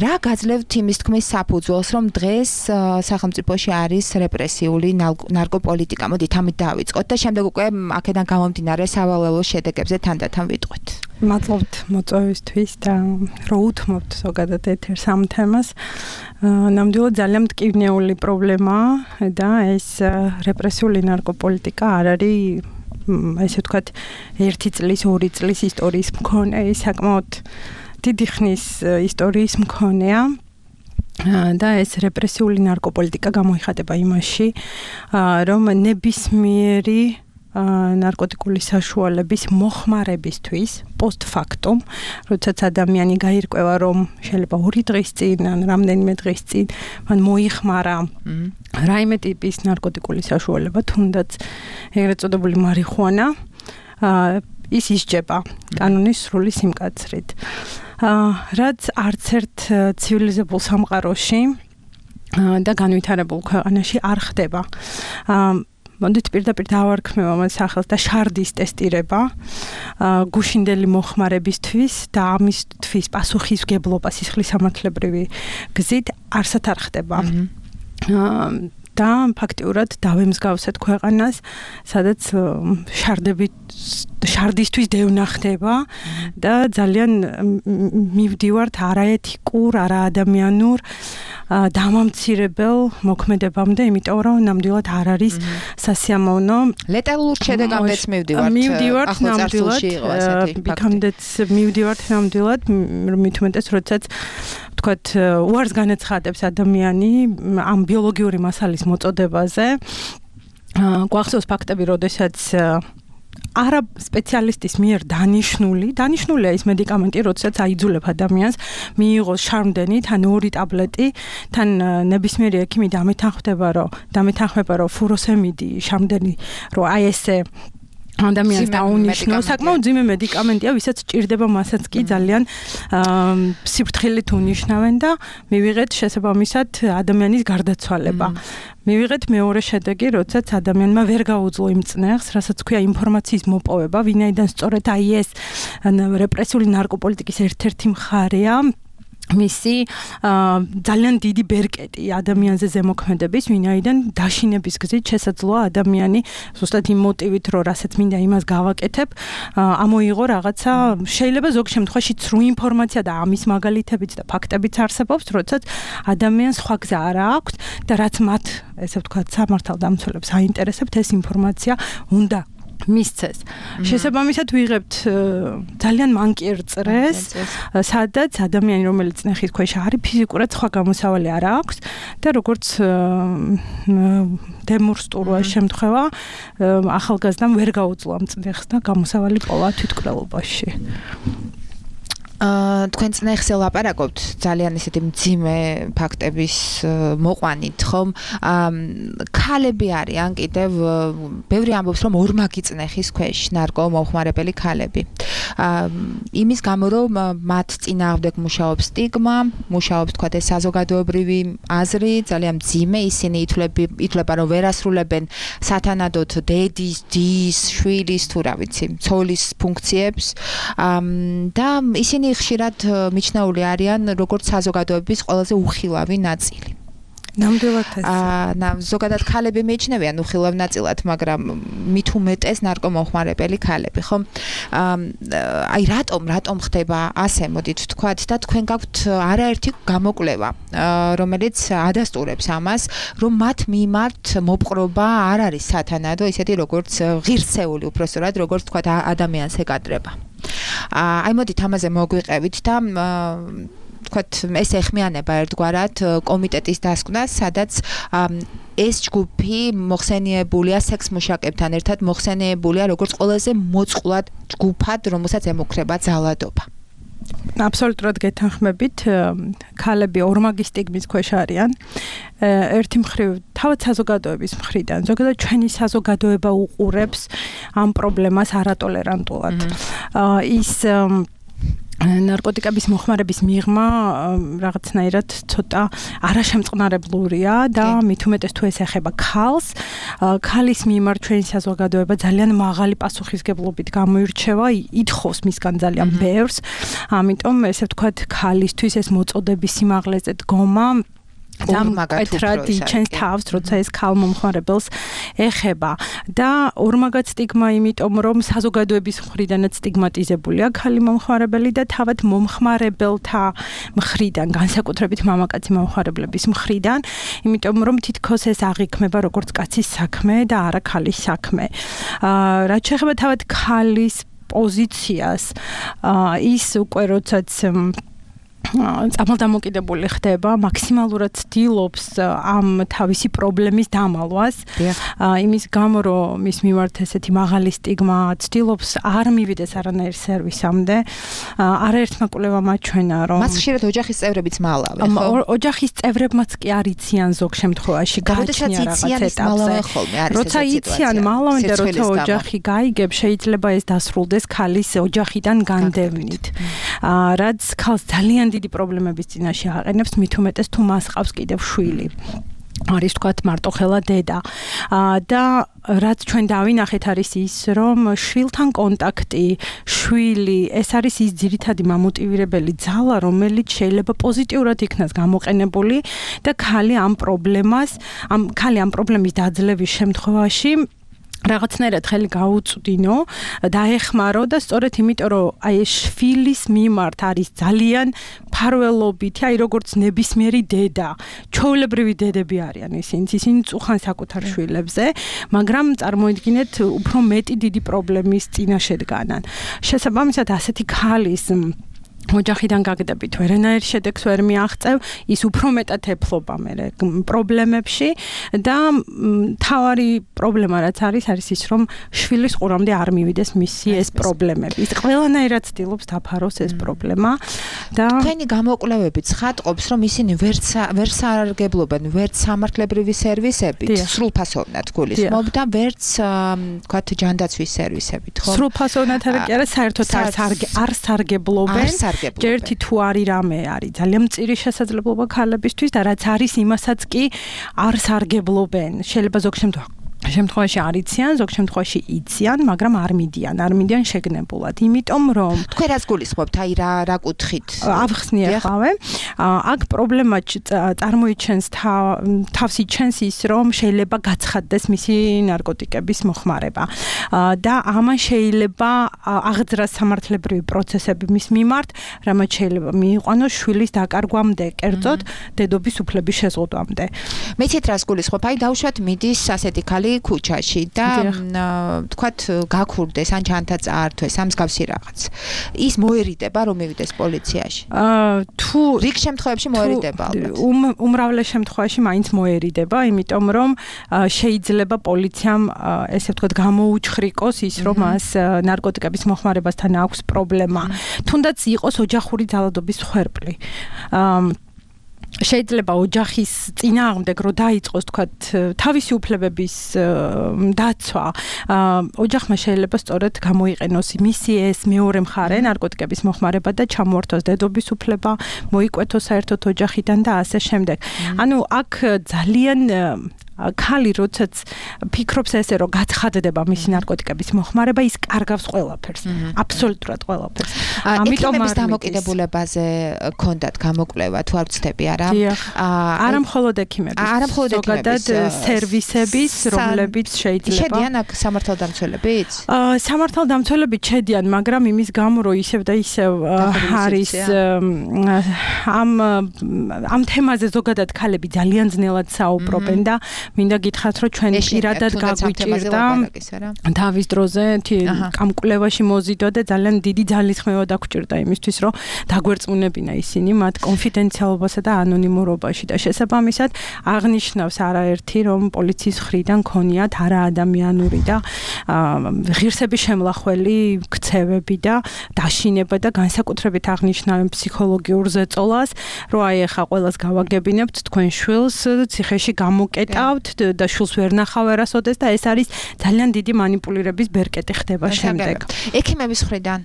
რა გაძლევთ იმის თქმის საფუძველს, რომ დღეს სახელმწიფოში არის რეპრესიული ნარკოპოლიტიკა? მოდით ამით დავიწყოთ და შემდეგ უკვე აქედან გამომდინარე სავალალო შედეგებზე თანდათან ვიტყვით. მადლობთ მოწვევისთვის და რომ უთმობთ ზოგადად ეთერს ამ თემას. ნამდვილად ძალიან მტკივნეული პრობლემაა და ეს რეპრესიული ნარკოპოლიტიკა არ არის ესე ვთქვათ 1 წლის, 2 წლის ისტორიის მქონე, საკმაოდ დიდი ხნის ისტორიის მქონეა. და ეს რეპრესიული ნარკოპოლიტიკა გამოიხატება იმაში, რომ ნებისმიერი ნარკოტიკული საშუალების მოხმარებისთვის პოსტფაქტუმ, როდესაც ადამიანი გაირკვევა, რომ შეიძლება 2 დღის წინ ან რამდენიმე დღის წინ მან მოიხმარა რაიმე ტიპის ნარკოტიკული საშუალება, თუნდაც ეგრეთ წოდებული მარიხუანა, ის ისჯება კანონის სრული სიმკაცრით. რაც არც ერთ ცივილიზებულ სამყაროში და განვითარებულ ქვეყანაში არ ხდება. მოდით პირდაპირ დავარქმევ ამ სახელს და შარდის ტესტირება გუშინდელი მოხმარებისთვის და ამისთვის პასუხისმგებლობა სისხლისამართლებრივი გზით არსად არ ხდება. და ფაქტიურად დავემსგავსეთ ქვეყანას, სადაც შარდისთვის დევნა ხდება და ძალიან მივდივართ არაეთიკურ, არაადამიანურ დამამცირებელ მოქმედებამდე, იმიტომ რომ ნამდვილად არ არის სასიამოვნო. ლეტალურ შედეგამდეც მივდივართ, ნამდვილად. იქამდეც მივდივართ ნამდვილად, მით უმეტეს, როდესაც ვთქვათ, უარს განაცხადებს ადამიანი ამ ბიოლოგიური მასალის მოწოდებაზე. გვახსოვს ფაქტები, როდესაც არა სპეციალისტის მიერ დანიშნულია ის მედიკამენტი, როდესაც აიძულებ ადამიანს მიიღოს შარმდენი, თან 2 ტაბლეტი, თან ნებისმიერი ექიმი დამეთანხმება, რომ ფუროსემიდი შარმდენი, რომ აი ესე ადამიანს დაუნიშნოს, საკმაოდ ძიმე მედიკამენტია, ვისაც ჭირდება, მასაც კი ძალიან სიფრთხილით უნიშნავენ და მივიღეთ შესაბამისად ადამიანის გარდაცვალება. მივიღეთ მეორე შედეგი, როდესაც ადამიანმა ვერ გაუძლო იმ წნეხს, რასაც ქვია ინფორმაციის მოპოვება, ვინაიდან სწორედ აი ეს რეპრესიული ნარკოპოლიტიკის ერთ-ერთი მხარეა. მისი ძალიან დიდი ბერკეტი ადამიანზე ზემოქმედების, ვინაიდან დაშინების გზით შესაძლოა ადამიანი ზუსტად იმ მოტივით, რომ რასაც მინდა იმას გავაკეთებ, ამოიღო რაღაცა, შეიძლება ზოგ შემთხვევაში ცრუ ინფორმაცია და ამის მაგალითებიც და ფაქტებიც არსებობს, როდესაც ადამიანს სხვა გზა არ აქვს და რაც მათ, ესე ვთქვათ, სამართალდამცველებს აინტერესებთ, ეს ინფორმაცია უნდა მისცეს. შესაბამისად ვიღებთ ძალიან მანკიერ წრეს, სადაც ადამიანი, რომელიც ნეხის ქვეშ არის, ფიზიკურად სხვა გამოსავალი არ აქვს და როგორც დემურსტურვა შემთხვევა, ახალგაზრდამ ვერ გაუძლო ამ წნეხს და გამოსავალი პოვა თვითმკვლელობაში. თქვენ წნეხზე ლაპარაკობთ ძალიან ისეთი მძიმე ფაქტების მოყვანით, ხომ? ქალები არიან კიდევ, ბევრი ამბობს, რომ ორმაგი წნეხის ქვეშ ნარკომომხმარებელი ქალები. იმის გამო, რომ მათ წინააღმდეგ მუშაობს სტიგმა, მუშაობს თქვათ ეს საზოგადოებრივი აზრი, ძალიან მძიმე, ისინი ითვლება, რომ ვერ ასრულებენ სათანადოდ დედის, დის, შვილის თუ რა ვიცი, ცოლის ფუნქციებს და ისინი ხშირად მიჩნეული არიან როგორც საზოგადოების ყველაზე უხილავი ნაწილი. ნამდვილად ეს. ზოგადად ქალები მიიჩნევიან უხილავ ნაწილად, მაგრამ მით უმეტეს ნარკომომხმარებელი ქალები, ხო? აი რატომ ხდება ასე, მოდით ვთქვათ და თქვენ გაქვთ არაერთი გამოკვლევა, რომელიც ადასტურებს ამას, რომ მათ მიმართ მოპყრობა არ არის სათანადო, ისეთი როგორც ღირსეული უბრალოდ, როგორც ვთქვათ ადამიანს ეკადრება. აი მოდით ამაზე მოგვიყევით და თქვათ ეს ეხმიანება ერთგვარად კომიტეტის დასკვნას, სადაც ეს ჯგუფი მოხსენიებულია სექს მუშაკებთან ერთად მოხსენიებულია როგორც ყველაზე მოწყვლად ჯგუფად, რომელსაც ემუქრება ძალადობა. აბსოლუტურად გეთანხმებით, ქალები ორმაგი სტიგმის ქვეშ არიან. ერთი მხრივ თავად საზოგადოების მხრიდან, ზოგადად ჩვენი საზოგადოება უყურებს ამ პრობლემას არატოლერანტულად. ის ნარკოტიკების მოხმარების მიღმა რაღაცნაირად ცოტა არაშემწყნარებლურია და მით უმეტეს თუ ეს ეხება ქალს, ქალის მიმართ ჩვენი საზოგადოება ძალიან მაღალი პასუხისგებლობით გამოირჩევა, ითხოვს მისგან ძალიან ბევრს, ამიტომ ესე ვთქვათ, ქალისთვის ეს მოწოდების სიმაღლეზე დგომა მკეთრად იჩენს თავს, როცა ეს ქალ მომხმარებელს ეხება და ორმაგად სტიგმა, იმიტომ რომ საზოგადოების მხრიდანაც სტიგმატიზებულია ქალი მომხმარებელი და თავად მომხმარებელთა მხრიდან, განსაკუთრებით მამაკაცი მომხმარებლების მხრიდან, იმიტომ რომ თითქოს ეს აღიქმება როგორც კაცის საქმე და არა ქალის საქმე. რაც შეეხება თავად ქალის პოზიციას, ის უკვე როდესაც წამალდამოკიდებული ხდება, მაქსიმალურად ცდილობს ამ თავისი პრობლემის დამალვას. იმის გამო, რომ მის მიმართ ესეთი მაღალი სტიგმა ცდილობს არ მივიდეს არანაირ სერვისამდე. არაერთმა კვლევამ აჩვენა, რომ მას ხშირად ოჯახის წევრებიც მალავენ, ხო? ოჯახის წევრებმაც კი არ იციან ზოგ შემთხვევაში გააჩნია რაღაც ეტაპზე. როცა იციან მალავენ და როცა ოჯახი გაიგებს, შეიძლება ეს დასრულდეს ქალის ოჯახიდან განდევნით. რაც ქალს ძალიან დიდი პრობლემების წინაშე აყენებს, მით უმეტეს თუ მას ყავს კიდევ შვილი. არის თქვათ მარტოხელა დედა. და რაც ჩვენ დავინახეთ არის ის, რომ შვილთან კონტაქტი, შვილი, ეს არის ის ძირითადი მამოტივირებელი ძალა, რომელიც შეიძლება პოზიტიურად იქნას გამოყენებული და ქალი ამ პრობლემის დაძლევის შემთხვევაში რაღაცნაირად ხელი გაუწვდინო, დაეხმარო და სწორედ იმიტომ, რომ აი ეს შვილის მიმართ არის ძალიან ფარველობითი, აი როგორც ნებისმიერი დედა, ჩვეულებრივი დედები არიან ისინი წუხან საკუთარ შვილებზე, მაგრამ წარმოიდგინეთ, უფრო მეტი დიდი პრობლემის წინაშე დგანან. შესაბამისად, ასეთი ქალის ოჯახიდან გაგდებით ვერანაირ შედეგს ვერ მიაღწევ, ის უფრო მეტად ეფლობა მე პრობლემებში და თავარი პრობლემა რაც არის ის, რომ შვილის ყურამდე არ მივიდეს მისი ეს პრობლემები. ის ყველანაირად ცდილობს დაფაროს ეს პრობლემა და თქვენი გამოკვლევები ცხადყოფს, რომ ისინი ვერ სარგებლობენ ვერც სამართლებრივი სერვისებით, სრულფასოვნად გულისხმობ და ვერც თქვათ ჯანდაცვის სერვისებით, ხო? სრულფასოვნად კი არა, საერთოდ არ სარგებლობენ. ჯერთი თუ არის რამე არის ძალიან მწირი შესაძლებლობა ქალებისთვის და რაც არის იმასაც კი არ სარგებლობენ. შეიძლება ზოგ შემთხვევაში არ იციან, ზოგ შემთხვევაში იციან, მაგრამ არ მიდიან შეგნებულად. იმიტომ რომ თქვენ რას გულისხმობთ, აი რა კუთხით? ავხსნი ახავე. აქ პრობლემა წარმოიჩენს თავს იჩენს ის, რომ შეიძლება გაცხადდეს მისი ნარკოტიკების მოხმარება. და ამან შეიძლება აღძრას სამართლებრივი პროცესები მის მიმართ, რამაც შეიძლება მიიყვანოს შვილის დაკარგვამდე, კერძოდ დედობის უფლების შეზღუდვამდე. მეცით რას გულისხმობ? აი დავუშვათ მიდის ასეთი ქალი ქუჩაში და თქვათ გაქურდეს ან ჩანთა წაართვეს ამ მსგავსი რაღაც. ის მოერიდება რომ მივიდეს პოლიციაში? თუ რიგ შემთხვევებში მოერიდება ალბათ. უმრავლეს შემთხვევაში მაინც მოერიდება, იმიტომ რომ შეიძლება პოლიციამ ესე ვთქვათ გამოუჩხრიკოს ის, რომ მას ნარკოტიკების მოხმარებასთან აქვს პრობლემა. თუნდაც იყოს ოჯახური ძალადობის მსხვერპლი. შეიძლება ოჯახის წინააღმდეგ რო დაიწყოს თქვათ თავისი უფლებების დაცვა, ოჯახმა შეიძლება სწორედ გამოიყენოს მისი ეს მეორე მხარე ნარკოტიკების მოხმარება და ჩამოართვას დედობის უფლება, მოიკვეთოს საერთოდ ოჯახიდან და ასე შემდეგ. ანუ აქ ძალიან ქალი როდესაც ფიქრობს ესე რომ გაცხადდება მისი ნარკოტიკების მოხმარება, ის კარგავს ყველაფერს, აბსოლუტურად ყველაფერს. ამიტომ ამის დამოკიდებულებაზე ქონდათ გამოკვლევა, თუ არ ვცდები, არა? არა მხოლოდ ექიმების, ზოგადად სერვისების, რომლებიც შეიძლება შედიან აქ სამართალდამცველებიც? სამართალდამცველებიც შედიან, მაგრამ იმის გამო რომ ისევ და ისევ არის ამ თემაზე ზოგადად ქალები ძალიან ძნელად საუბრობენ და მინდა გითხრათ, რომ ჩვენ პირადად გაგვიჭირდა თავის დროზე ამ კვლევაში მოზიდვა და ძალიან დიდი ძალისხმევა დაგჭირდა იმისთვის, რომ დაგვერწმუნებინა ისინი მათ კონფიდენციალობასა და ანონიმურობაში და შესაბამისად აღნიშნავს არაერთი, რომ პოლიციის მხრიდან ქონიათ არაადამიანური და ღირსების შემლახველი ქცევები და დაშინება და განსაკუთრებით აღნიშნავენ ფსიქოლოგიურ ზეწოლას, რომ აი ახლა ყველას გავაგებინებთ თქვენ შვილს ციხეში გამოკეტავთ და შვილს ვერ ნახავ არასოდეს და ეს არის ძალიან დიდი манипуლირების ბერკეტი ხდება შემდეგ. ექიმების მხრიდან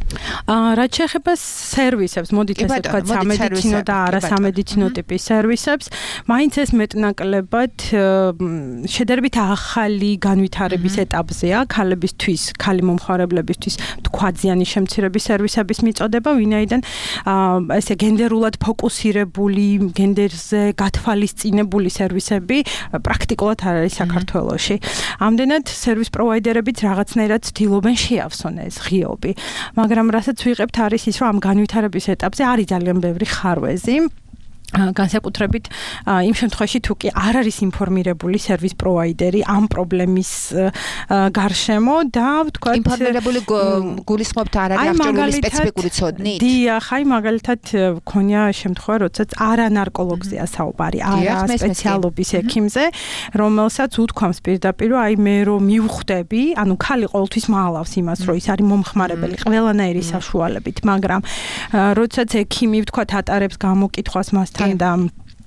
რაც შეეხება სერვისებს, მოდით ესე ვთქვათ, სამედიცინო და არასამედიცინო ტიპის სერვისებს, მაინც ეს მეტნაკლებად შედარებით ახალი განვითარების ეტაპზეა ქალებისთვის, ქალი მომხმარებლებისთვის თქვაძიანი შემცირების სერვისების მიწოდება, ვინაიდან ესე გენდერულად ფოკუსირებული, გენდერზე გათვალისწინებული სერვისები პრაქტიკულად არ არის საქართველოში. ამდენად სერვის პროვაიდერებიც რაღაცნაირად ცდილობენ შეავსონ ეს ღიობი. მაგრამ რასაც ვიღებთ არის ის, რომ ამ განვითარების ეტაპზე არის ძალიან ბევრი ხარვეზი. განსაკუთრებით იმ შემთხვევაში თუ კი არ არის ინფორმირებული სერვის პროვაიდერი ამ პრობლემის გარშემო და ვთქვათ ინფორმირებული გულისხმობთ არ არის აღჭურვილი სპეციფიკური ცოდნით? დიახ, აი მაგალითად მქონია შემთხვევა, როდესაც არა ნარკოლოგზეა საუბარი, არა სპეციალობის ექიმზე, რომელსაც უთქვამს პირდაპირ, აი მე რომ მივხვდები, ანუ ქალი ყოველთვის მალავს იმას, რომ ის არის მომხმარებელი ყველანაირი საშუალებით, მაგრამ როდესაც ექიმი ვთქვათ ატარებს გამოკითხვას მასთან და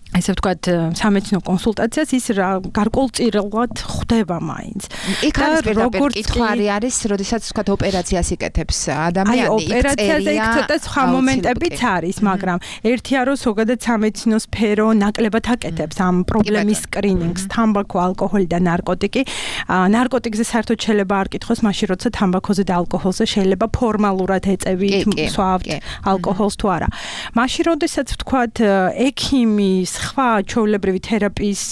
ესე ვთქვათ სამედიცინო კონსულტაციას ის გარკვეულწილად ხდება მაინც. იქ არის პირდაპირ კითხვარი არის, როდესაც ვთქვათ ოპერაციას იკეთებს ადამიანი, აი ოპერაციაზე იქ ცოტა სხვა მომენტებიც არის, მაგრამ ერთია რომ ზოგადად სამედიცინო სფერო ნაკლებად აკეთებს ამ პრობლემის სკრინინგს, თამბაქო, ალკოჰოლი და ნარკოტიკი. ნარკოტიკზე საერთოდ შეიძლება არ კითხოს, მაშინ როცა თამბაქოზე და ალკოჰოლზე შეიძლება ფორმალურად ეწევით, სვავთ ალკოჰოლს თუ არა. მაშინ როდესაც ვთქვათ ექიმის სხვა ჩვეულებრივი თერაპიის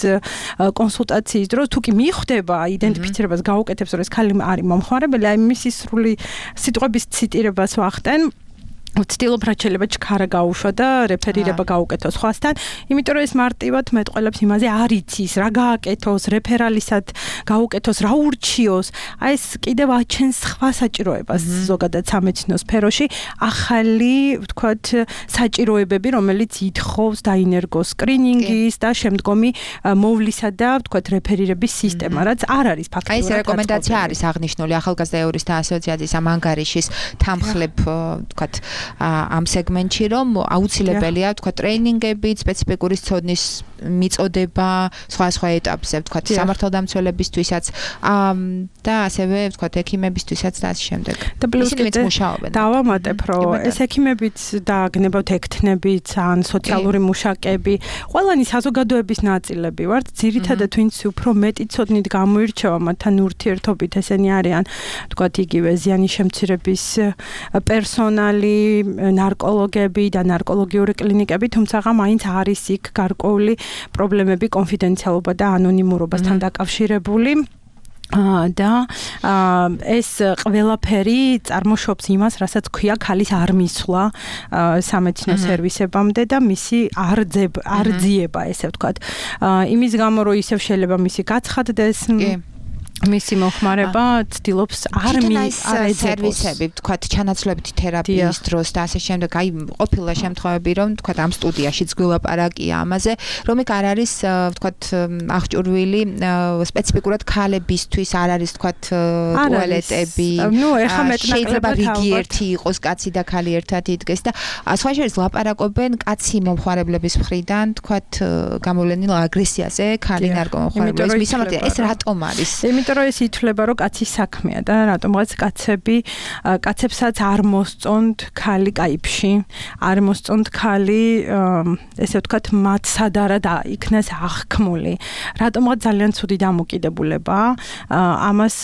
კონსულტაციის დროს თუ კი მიხვდება იდენტიფიცირებას გაუკეთებს, რომ ეს ქალი არის მომხმარებელი, აი მისი სრული სიტყვების ციტირებას ვახდენ. ვცდილობ რაც შეიძლება ჩქარა გაუშვა და რეფერირება გაუკეთოს სხვასთან, იმიტომ რომ ეს მარტივად მეტყველებს იმაზე არ იცის, რა გააკეთოს, რეფერალისად გაუკეთოს, რა ურჩიოს. აი ეს კიდევ აჩენს სხვა საჭიროებას ზოგადად სამედიცინო სფეროში, ახალი, ვთქვათ, საჭიროებები, რომელიც ითხოვს დაინერგოს სკრინინგის და შემდგომი მოვლისა და, ვთქვათ, რეფერირების სისტემა, რაც არ არის ფაქტურად. აი ეს რეკომენდაცია არის აღნიშნული ახალგაზრდა იურისტთა ასოციაციის ამ ანგარიშის თანხლებ, ვთქვათ, ამ სეგმენტში, რომ აუცილებელია, ვთქვათ, ტრეინინგები, სპეციფიკური ცოდნის მიწოდება, სხვა ეტაპზე, ვთქვათ, სამართალდამცველებისთვისაც და ასევე, ვთქვათ, ექიმებისთვისაც და ასე შემდეგ. და პლუს დავამატებ, რომ ეს ექიმებიც და გნებავთ ექთნებიც, ან სოციალური მუშაკები, ყველანი საზოგადოების ნაწილები ვართ, ძირითადად ვინც უფრო მეტი ცოდნით გამოირჩევა მათთან ურთიერთობით, ესენი არიან, ვთქვათ, იგივე ზიანის შემცირების პერსონალი, ნარკოლოგები და ნარკოლოგიური კლინიკები, თუმცა მაინც არის იქ გარკვეული პრობლემები კონფიდენციალობა და ანონიმურობასთან დაკავშირებული. და ეს ყველაფერი წარმოშობს იმას, რასაც ქვია ქალის არ მისვლა სამედიცინო სერვისებამდე და მისი არძიება, ესე ვთქვათ. იმის გამო, რომ ისევ შეიძლება მისი გაცხადდეს მისი მოხმარება ცდილობს არ ეძებოს სერვისები, ვთქვათ, ჩანაცვლებითი თერაპიის დროს და ასე შემდეგ, აი ყოფილა შემთხვევები, რომ ვთქვათ, ამ სტუდიაშიც გველაპარაკია ამაზე, რომ იქ არ არის, ვთქვათ, აღჭურვილი სპეციფიკურად ქალებისთვის არ არის, ვთქვათ, ტუალეტები. ნუ ეხა მეტნაკლებად რიგი ერთი იყოს, კაცი და ქალი ერთად იდგეს და სხვა შორის ლაპარაკობენ კაცი მომხმარებლების მხრიდან, ვთქვათ, გამოვლენილ აგრესიაზე, ქალი ნარკომომხმარებლების მისამართი, ეს რატომ არის? იმიტომ რომ ეს ითვლება, რომ კაცის საქმეა და რატომღაც კაცებსაც არ მოსწონთ ქალი კაიფში, არ მოსწონთ ქალი, ესე ვთქვათ, მათ სადარა და იქნას აღქმული. რატომღაც ძალიან ცუდი დამოკიდებულება. ამას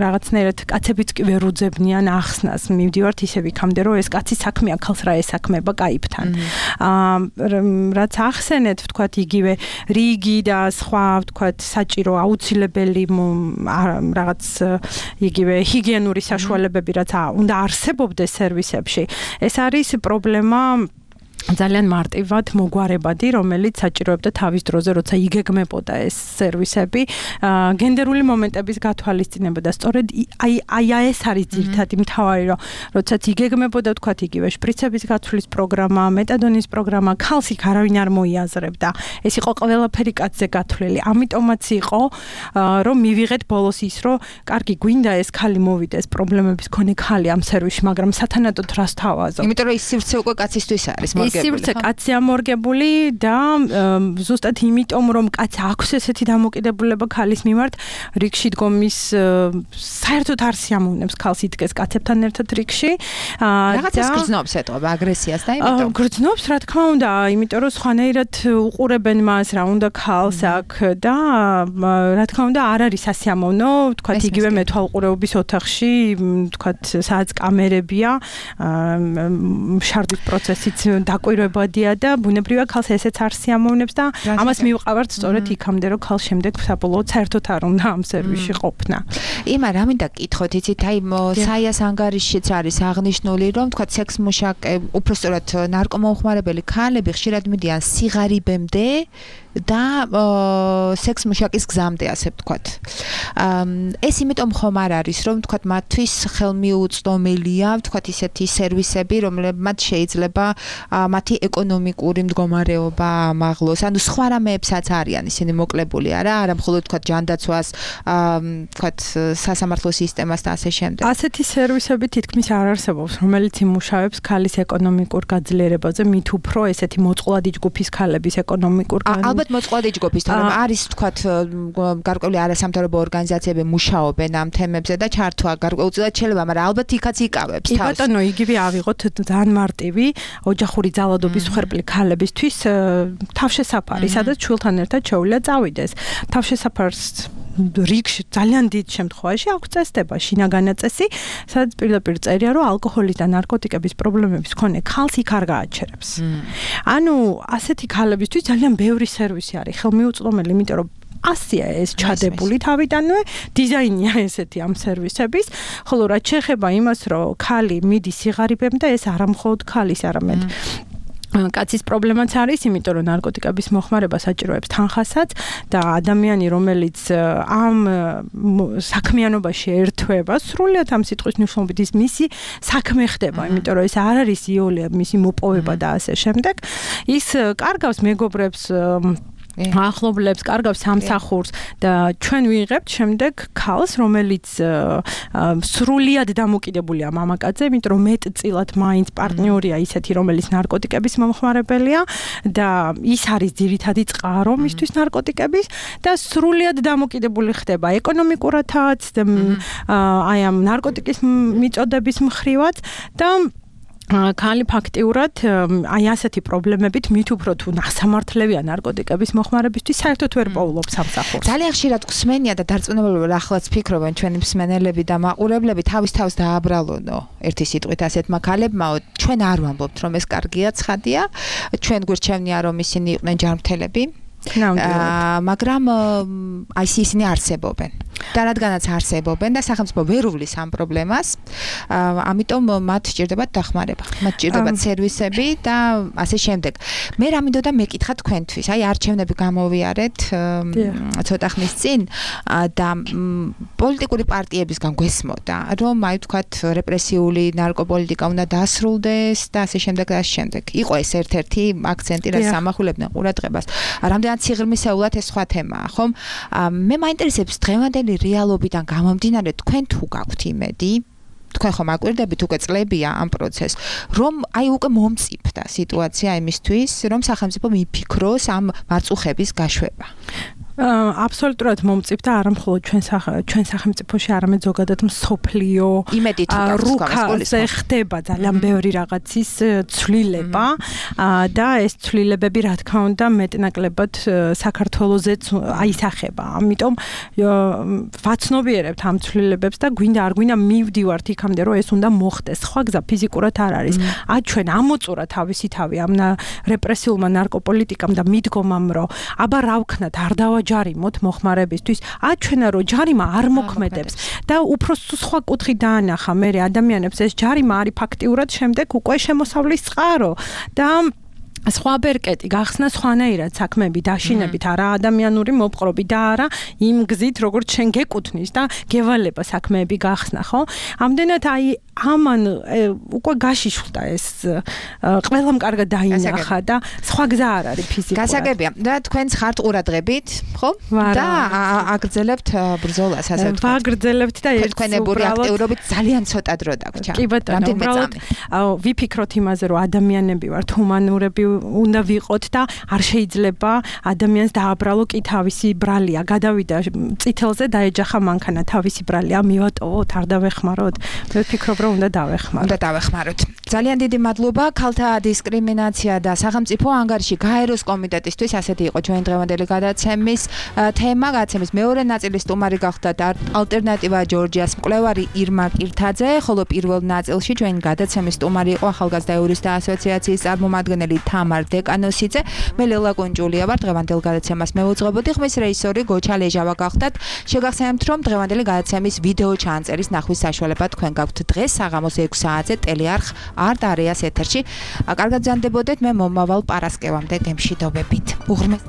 რაღაცნაირად კაცებიც კი ვერ უძებნიან ახსნას. მივდივართ ისევ იქამდე, რომ ეს კაცის საქმეა, ქალს რა ესაქმება კაიფთან. რაც ახსენეთ, ვთქვათ, იგივე რიგი და სხვა, ვთქვათ, საჭირო აუცილებელი რაღაც იგივე ჰიგიენური საშუალებები, რაც უნდა არსებობდეს სერვისებში. ეს არის პრობლემა ძალიან მარტივად მოგვარებადი, რომელიც საჭიროებდა თავის დროზე, როცა იგეგმებოდა ეს სერვისები, გენდერული მომენტების გათვალისწინება და სწორედ აი ეს არის ძირითადი მთავარი, რომ როდესაც იგეგმებოდა თქვათ იგივე შპრიცების გათვლის პროგრამა, მეტადონის პროგრამა, ქალს იქ არავინ არ მოიაზრებდა. ეს იყო ყველაფერი კაცზე გათვლილი. ამიტომაც იყო, რომ მივიღეთ ბოლოს ის, რომ კარგი გვინდა ეს ქალი მოვიდეს, პრობლემების მქონე ქალი ამ სერვისში, მაგრამ სათანადოდ რას თავაზობ? იმიტომ რომ ის სივრცე უკვე კაცისთვის არის მორგებული. ის სივრცე კაცი ამორგებული და ზუსტად იმიტომ რომ კაცს აქვს ესეთი დამოკიდებულება ქალის მიმართ, რიგში დგომის საერთოდ არ სიამოვნებს ქალს იდგეს კაცებთან ერთად რიგში. რაღაცას გრძნობს ეტყობა აგრესიას და იმიტომ. გრძნობს, რა თქმა უნდა, იმიტომ რომ სხვანაირად უყურებენ მას, რა უნდა ქალს აქ და რა თქმა უნდა არ არის სასიამოვნო, თქვათ იგივე მეთვალყურეობის ოთახში, თქვათ სადაც კამერებია, შარდის პროცესიც დაკვირვებადია და ბუნებრივია ქალს ესეც არ სიამოვნებს და ამას მივყავართ სწორედ იქამდე რომ ქალს შემდეგ საბოლოოდ საერთოდ არ უნდა ამ სერვისში ყოფნა. იმა რა მინდა გკითხოთ, იცით, აი საიას ანგარიშშიც არის აღნიშნული, რომ თქვა სექს მუშაკე, უпростоრად ნარკომომხმარებელი ქალები ხშირად მიდიან სიღარიბემდე და სექს მუშაკის გზამდე, ასე ვთქვათ. ეს იმიტომ ხომ არ არის, რომ ვთქვათ მათთვის ხელმიუწვდომელია, ვთქვათ ისეთი სერვისები, რომლებმაც შეიძლება მათი ეკონომიკური მდგომარეობა ამაღლოს. ანუ სხვა რამეებსაც არიან ისინი მოკლებული, არა მხოლოდ ვთქვათ ჯანდაცვას, ვთქვათ სასამართლო სისტემას და ასე შემდეგ. ასეთი სერვისები თითქმის არ არსებობს, რომელიც იმუშავებს ქალის ეკონომიკურ გაძლიერებაზე, მით უფრო ესეთი მოწყვლადი ჯგუფის ქალების ეკონომიკურ ალბათ მოწყვლადი ჯგუფის, თორემ არის ვთქვათ გარკვეული არასამთავრობო ორგანიზაციები მუშაობენ ამ თემებზე და ჩართვა გარკვეულწილად შეიძლება, მაგრამ ალბათ იქაც იკავებს თავს. ბატონო, იგივე ავიღოთ ძალიან მარტივი ოჯახური ძალადობის მსხვერპლი ქალებისთვის თავშესაფარი, სადაც შვილთან ერთად შეუძლია წავიდეს. თავშესაფარს რიგში ძალიან დიდ შემთხვევაში აქვს წესდება, შინაგანი წესი, სადაც პირდაპირ წერია, რომ ალკოჰოლის და ნარკოტიკების პრობლემების მქონე ქალს იქ არ გააჩერებს. ანუ ასეთი ქალებისთვის ძალიან ბევრი სერვისი არის ხელმიუწვდომელი, იმიტომ რომ ასია ეს ჩადებული თავიდანვე, დიზაინია ესეთი ამ სერვისების, ხოლო რაც შეეხება იმას, რომ ქალი მიდის სიღარიბემდე, ეს არა მხოლოდ ქალის, არამედ კაცის პრობლემაც არის, იმიტომ რომ ნარკოტიკების მოხმარება საჭიროებს თანხასაც და ადამიანი, რომელიც ამ საქმიანობაში ერთვება, სრულიად ამ სიტყვის მნიშვნელობით ის მისი საქმე ხდება, იმიტომ რომ ეს არ არის იოლია, მისი მოპოვება და ასე შემდეგ. ის კარგავს მეგობრებს, ახლობლებს, კარგავს სამსახურს და ჩვენ ვიღებთ შემდეგ ქალს, რომელიც სრულიად დამოკიდებულია მამაკაცზე, იმიტომ რომ მეტწილად მაინც პარტნიორია ისეთი, რომელიც ნარკოტიკების მომხმარებელია და ის არის ძირითადი წყარო მისთვის ნარკოტიკების და სრულიად დამოკიდებული ხდება ეკონომიკურათაც და აი ამ ნარკოტიკის მიწოდების მხრივაც და ქალი ფაქტიურად აი ასეთი პრობლემებით მით უფრო თუ ნასამართლევია ნარკოტიკების მოხმარებისთვის საერთოდ ვერ პოულობს სამსახურს. ძალიან ხშირად ხსმენია და დარწმუნებულად ახლაც ფიქრობენ ჩვენი მსმენელები და მაყურებლები თავის თავს დააბრალონო ერთი სიტყვით ასეთმა ქალებმაო, ჩვენ არ ვამბობთ რომ ეს კარგია, ცხადია, ჩვენ გვირჩევნია რომ ისინი იყვნენ ჯანმრთელები. მაგრამ აი ისინი არსებობენ. და რადგანაც არსებობენ და სახელმწიფო ვერ უვლის ამ პრობლემას, ამიტომ მათ სჭირდებათ დახმარება, მათ სჭირდებათ სერვისები და ასე შემდეგ. მე რა მინდოდა მეკითხა თქვენთვის, აი არჩევნები გამოვიარეთ ცოტა ხნის წინ და პოლიტიკური პარტიებისგან გვესმოდა, რომ აი ვთქვათ რეპრესიული ნარკოპოლიტიკა უნდა დასრულდეს და ასე შემდეგ და ასე შემდეგ. იყო ეს ერთ-ერთი აქცენტი, რაც ამახვილებდნენ ყურადღებას. რამდენად სიღრმისეულად ეს სხვა თემაა, ხომ? მე მაინტერესებს დღევანდელი რეალობიდან გამომდინარე თქვენ თუ გაქვთ იმედი, თქვენ ხომ აკვირდებით უკვე წლებია ამ პროცესს, რომ აი უკვე მომწიფდა სიტუაცია იმისთვის, რომ სახელმწიფო მიფიქროს ამ მარწუხების გაშვება. აბსოლუტურად მომწიფდა არა მხოლოდ ჩვენ სახელმწიფოში, არამედ ზოგადად მსოფლიო რუკაზე ხდება ძალიან ბევრი რაღაცის ცვლილება და ეს ცვლილებები რა თქმა უნდა მეტნაკლებად საქართველოსაც აისახება. ამიტომ ვაცნობიერებთ ამ ცვლილებებს და გვინდა არ გვინდა მივდივართ იქამდე, რომ ეს უნდა მოხდეს. სხვა გზა ფიზიკურად არ არის. ჩვენ ამოწურა თავისი თავი ამ რეპრესიულმა ნარკოპოლიტიკამ და მიდგომამ, რომ აბა რა ვქნათ, არ ჯარიმოთ მოხმარებისთვის, აჩვენა რომ ჯარიმა არ მოქმედებს და უფრო სხვა კუთხით დაანახა მე ადამიანებს ეს ჯარიმა არის ფაქტიურად შემდეგ უკვე შემოსავლის წყარო და სხვა ბერკეტი გახსნა სხვანაირად საქმეები დაშინებით, არა ადამიანური მოპყრობი და არა იმ გზით, როგორც შენ გეკუთვნის და გევალება საქმეები გახსნა, ხო? ამდენად აი ამან უკვე გაშიშვლდა ეს ყველამ კარგად დაინახა და სხვა გზა არ არის ფიზიკურად. გასაგებია. და თქვენც ხართ ყურადღებით, ხო? და აგრძელებთ ბრძოლას, ასე ვთქვათ. ვაგრძელებთ და ერთ თქვენებური აქტიურობით ძალიან ცოტა დრო დაგვრჩა. კი ბატონო, უბრალოდ ვიფიქროთ იმაზე, რომ ადამიანები ვართ, ჰუმანურები უნდა ვიყოთ და არ შეიძლება ადამიანს დააბრალო კი თავისი ბრალია. გადავიდა წითელზე დაეჯახა მანქანა თავისი ბრალია, მივატოვოთ, არ დავეხმაროთ. მე ვფიქრობ, რომ უნდა დავეხმაროთ. ძალიან დიდი მადლობა ქალთა დისკრიმინაცია და სახელმწიფო ანგარიში გაეროს კომიტეტისთვის. ასეთი იყო ჩვენ დღევანდელი გადაცემის თემა. გადაცემის მეორე ნაწილის სტუმარი გახდათ ალტერნატივა ჯორჯიას მკვლევარი ირმა კირთაძე, ხოლო პირველ ნაწილში ჩვენი გადაცემის სტუმარი იყო ახალგაზრდა იურისტთა ასოციაციის წარმომადგენელი თამარ დეკანოსიძე. მე ლელა კონჯულია ვარ. დღევანდელ გადაცემას მევუძღვებოდი. ხმის რეჟისორი გოჩა ლეჟავა გახდათ. შეგახსენებთ, რომ დღევანდელი გადაცემის ვიდეო ჩაანწერის ნახვის საშუალება თქვენ გაქვთ დღეს საღამოს 6 საათზე ტელეარხ არტ არეას ეთერში. კარგად ზანდებოდეთ, მე მომავალ პარასკევამდე გემშვიდობებით. უღრმეს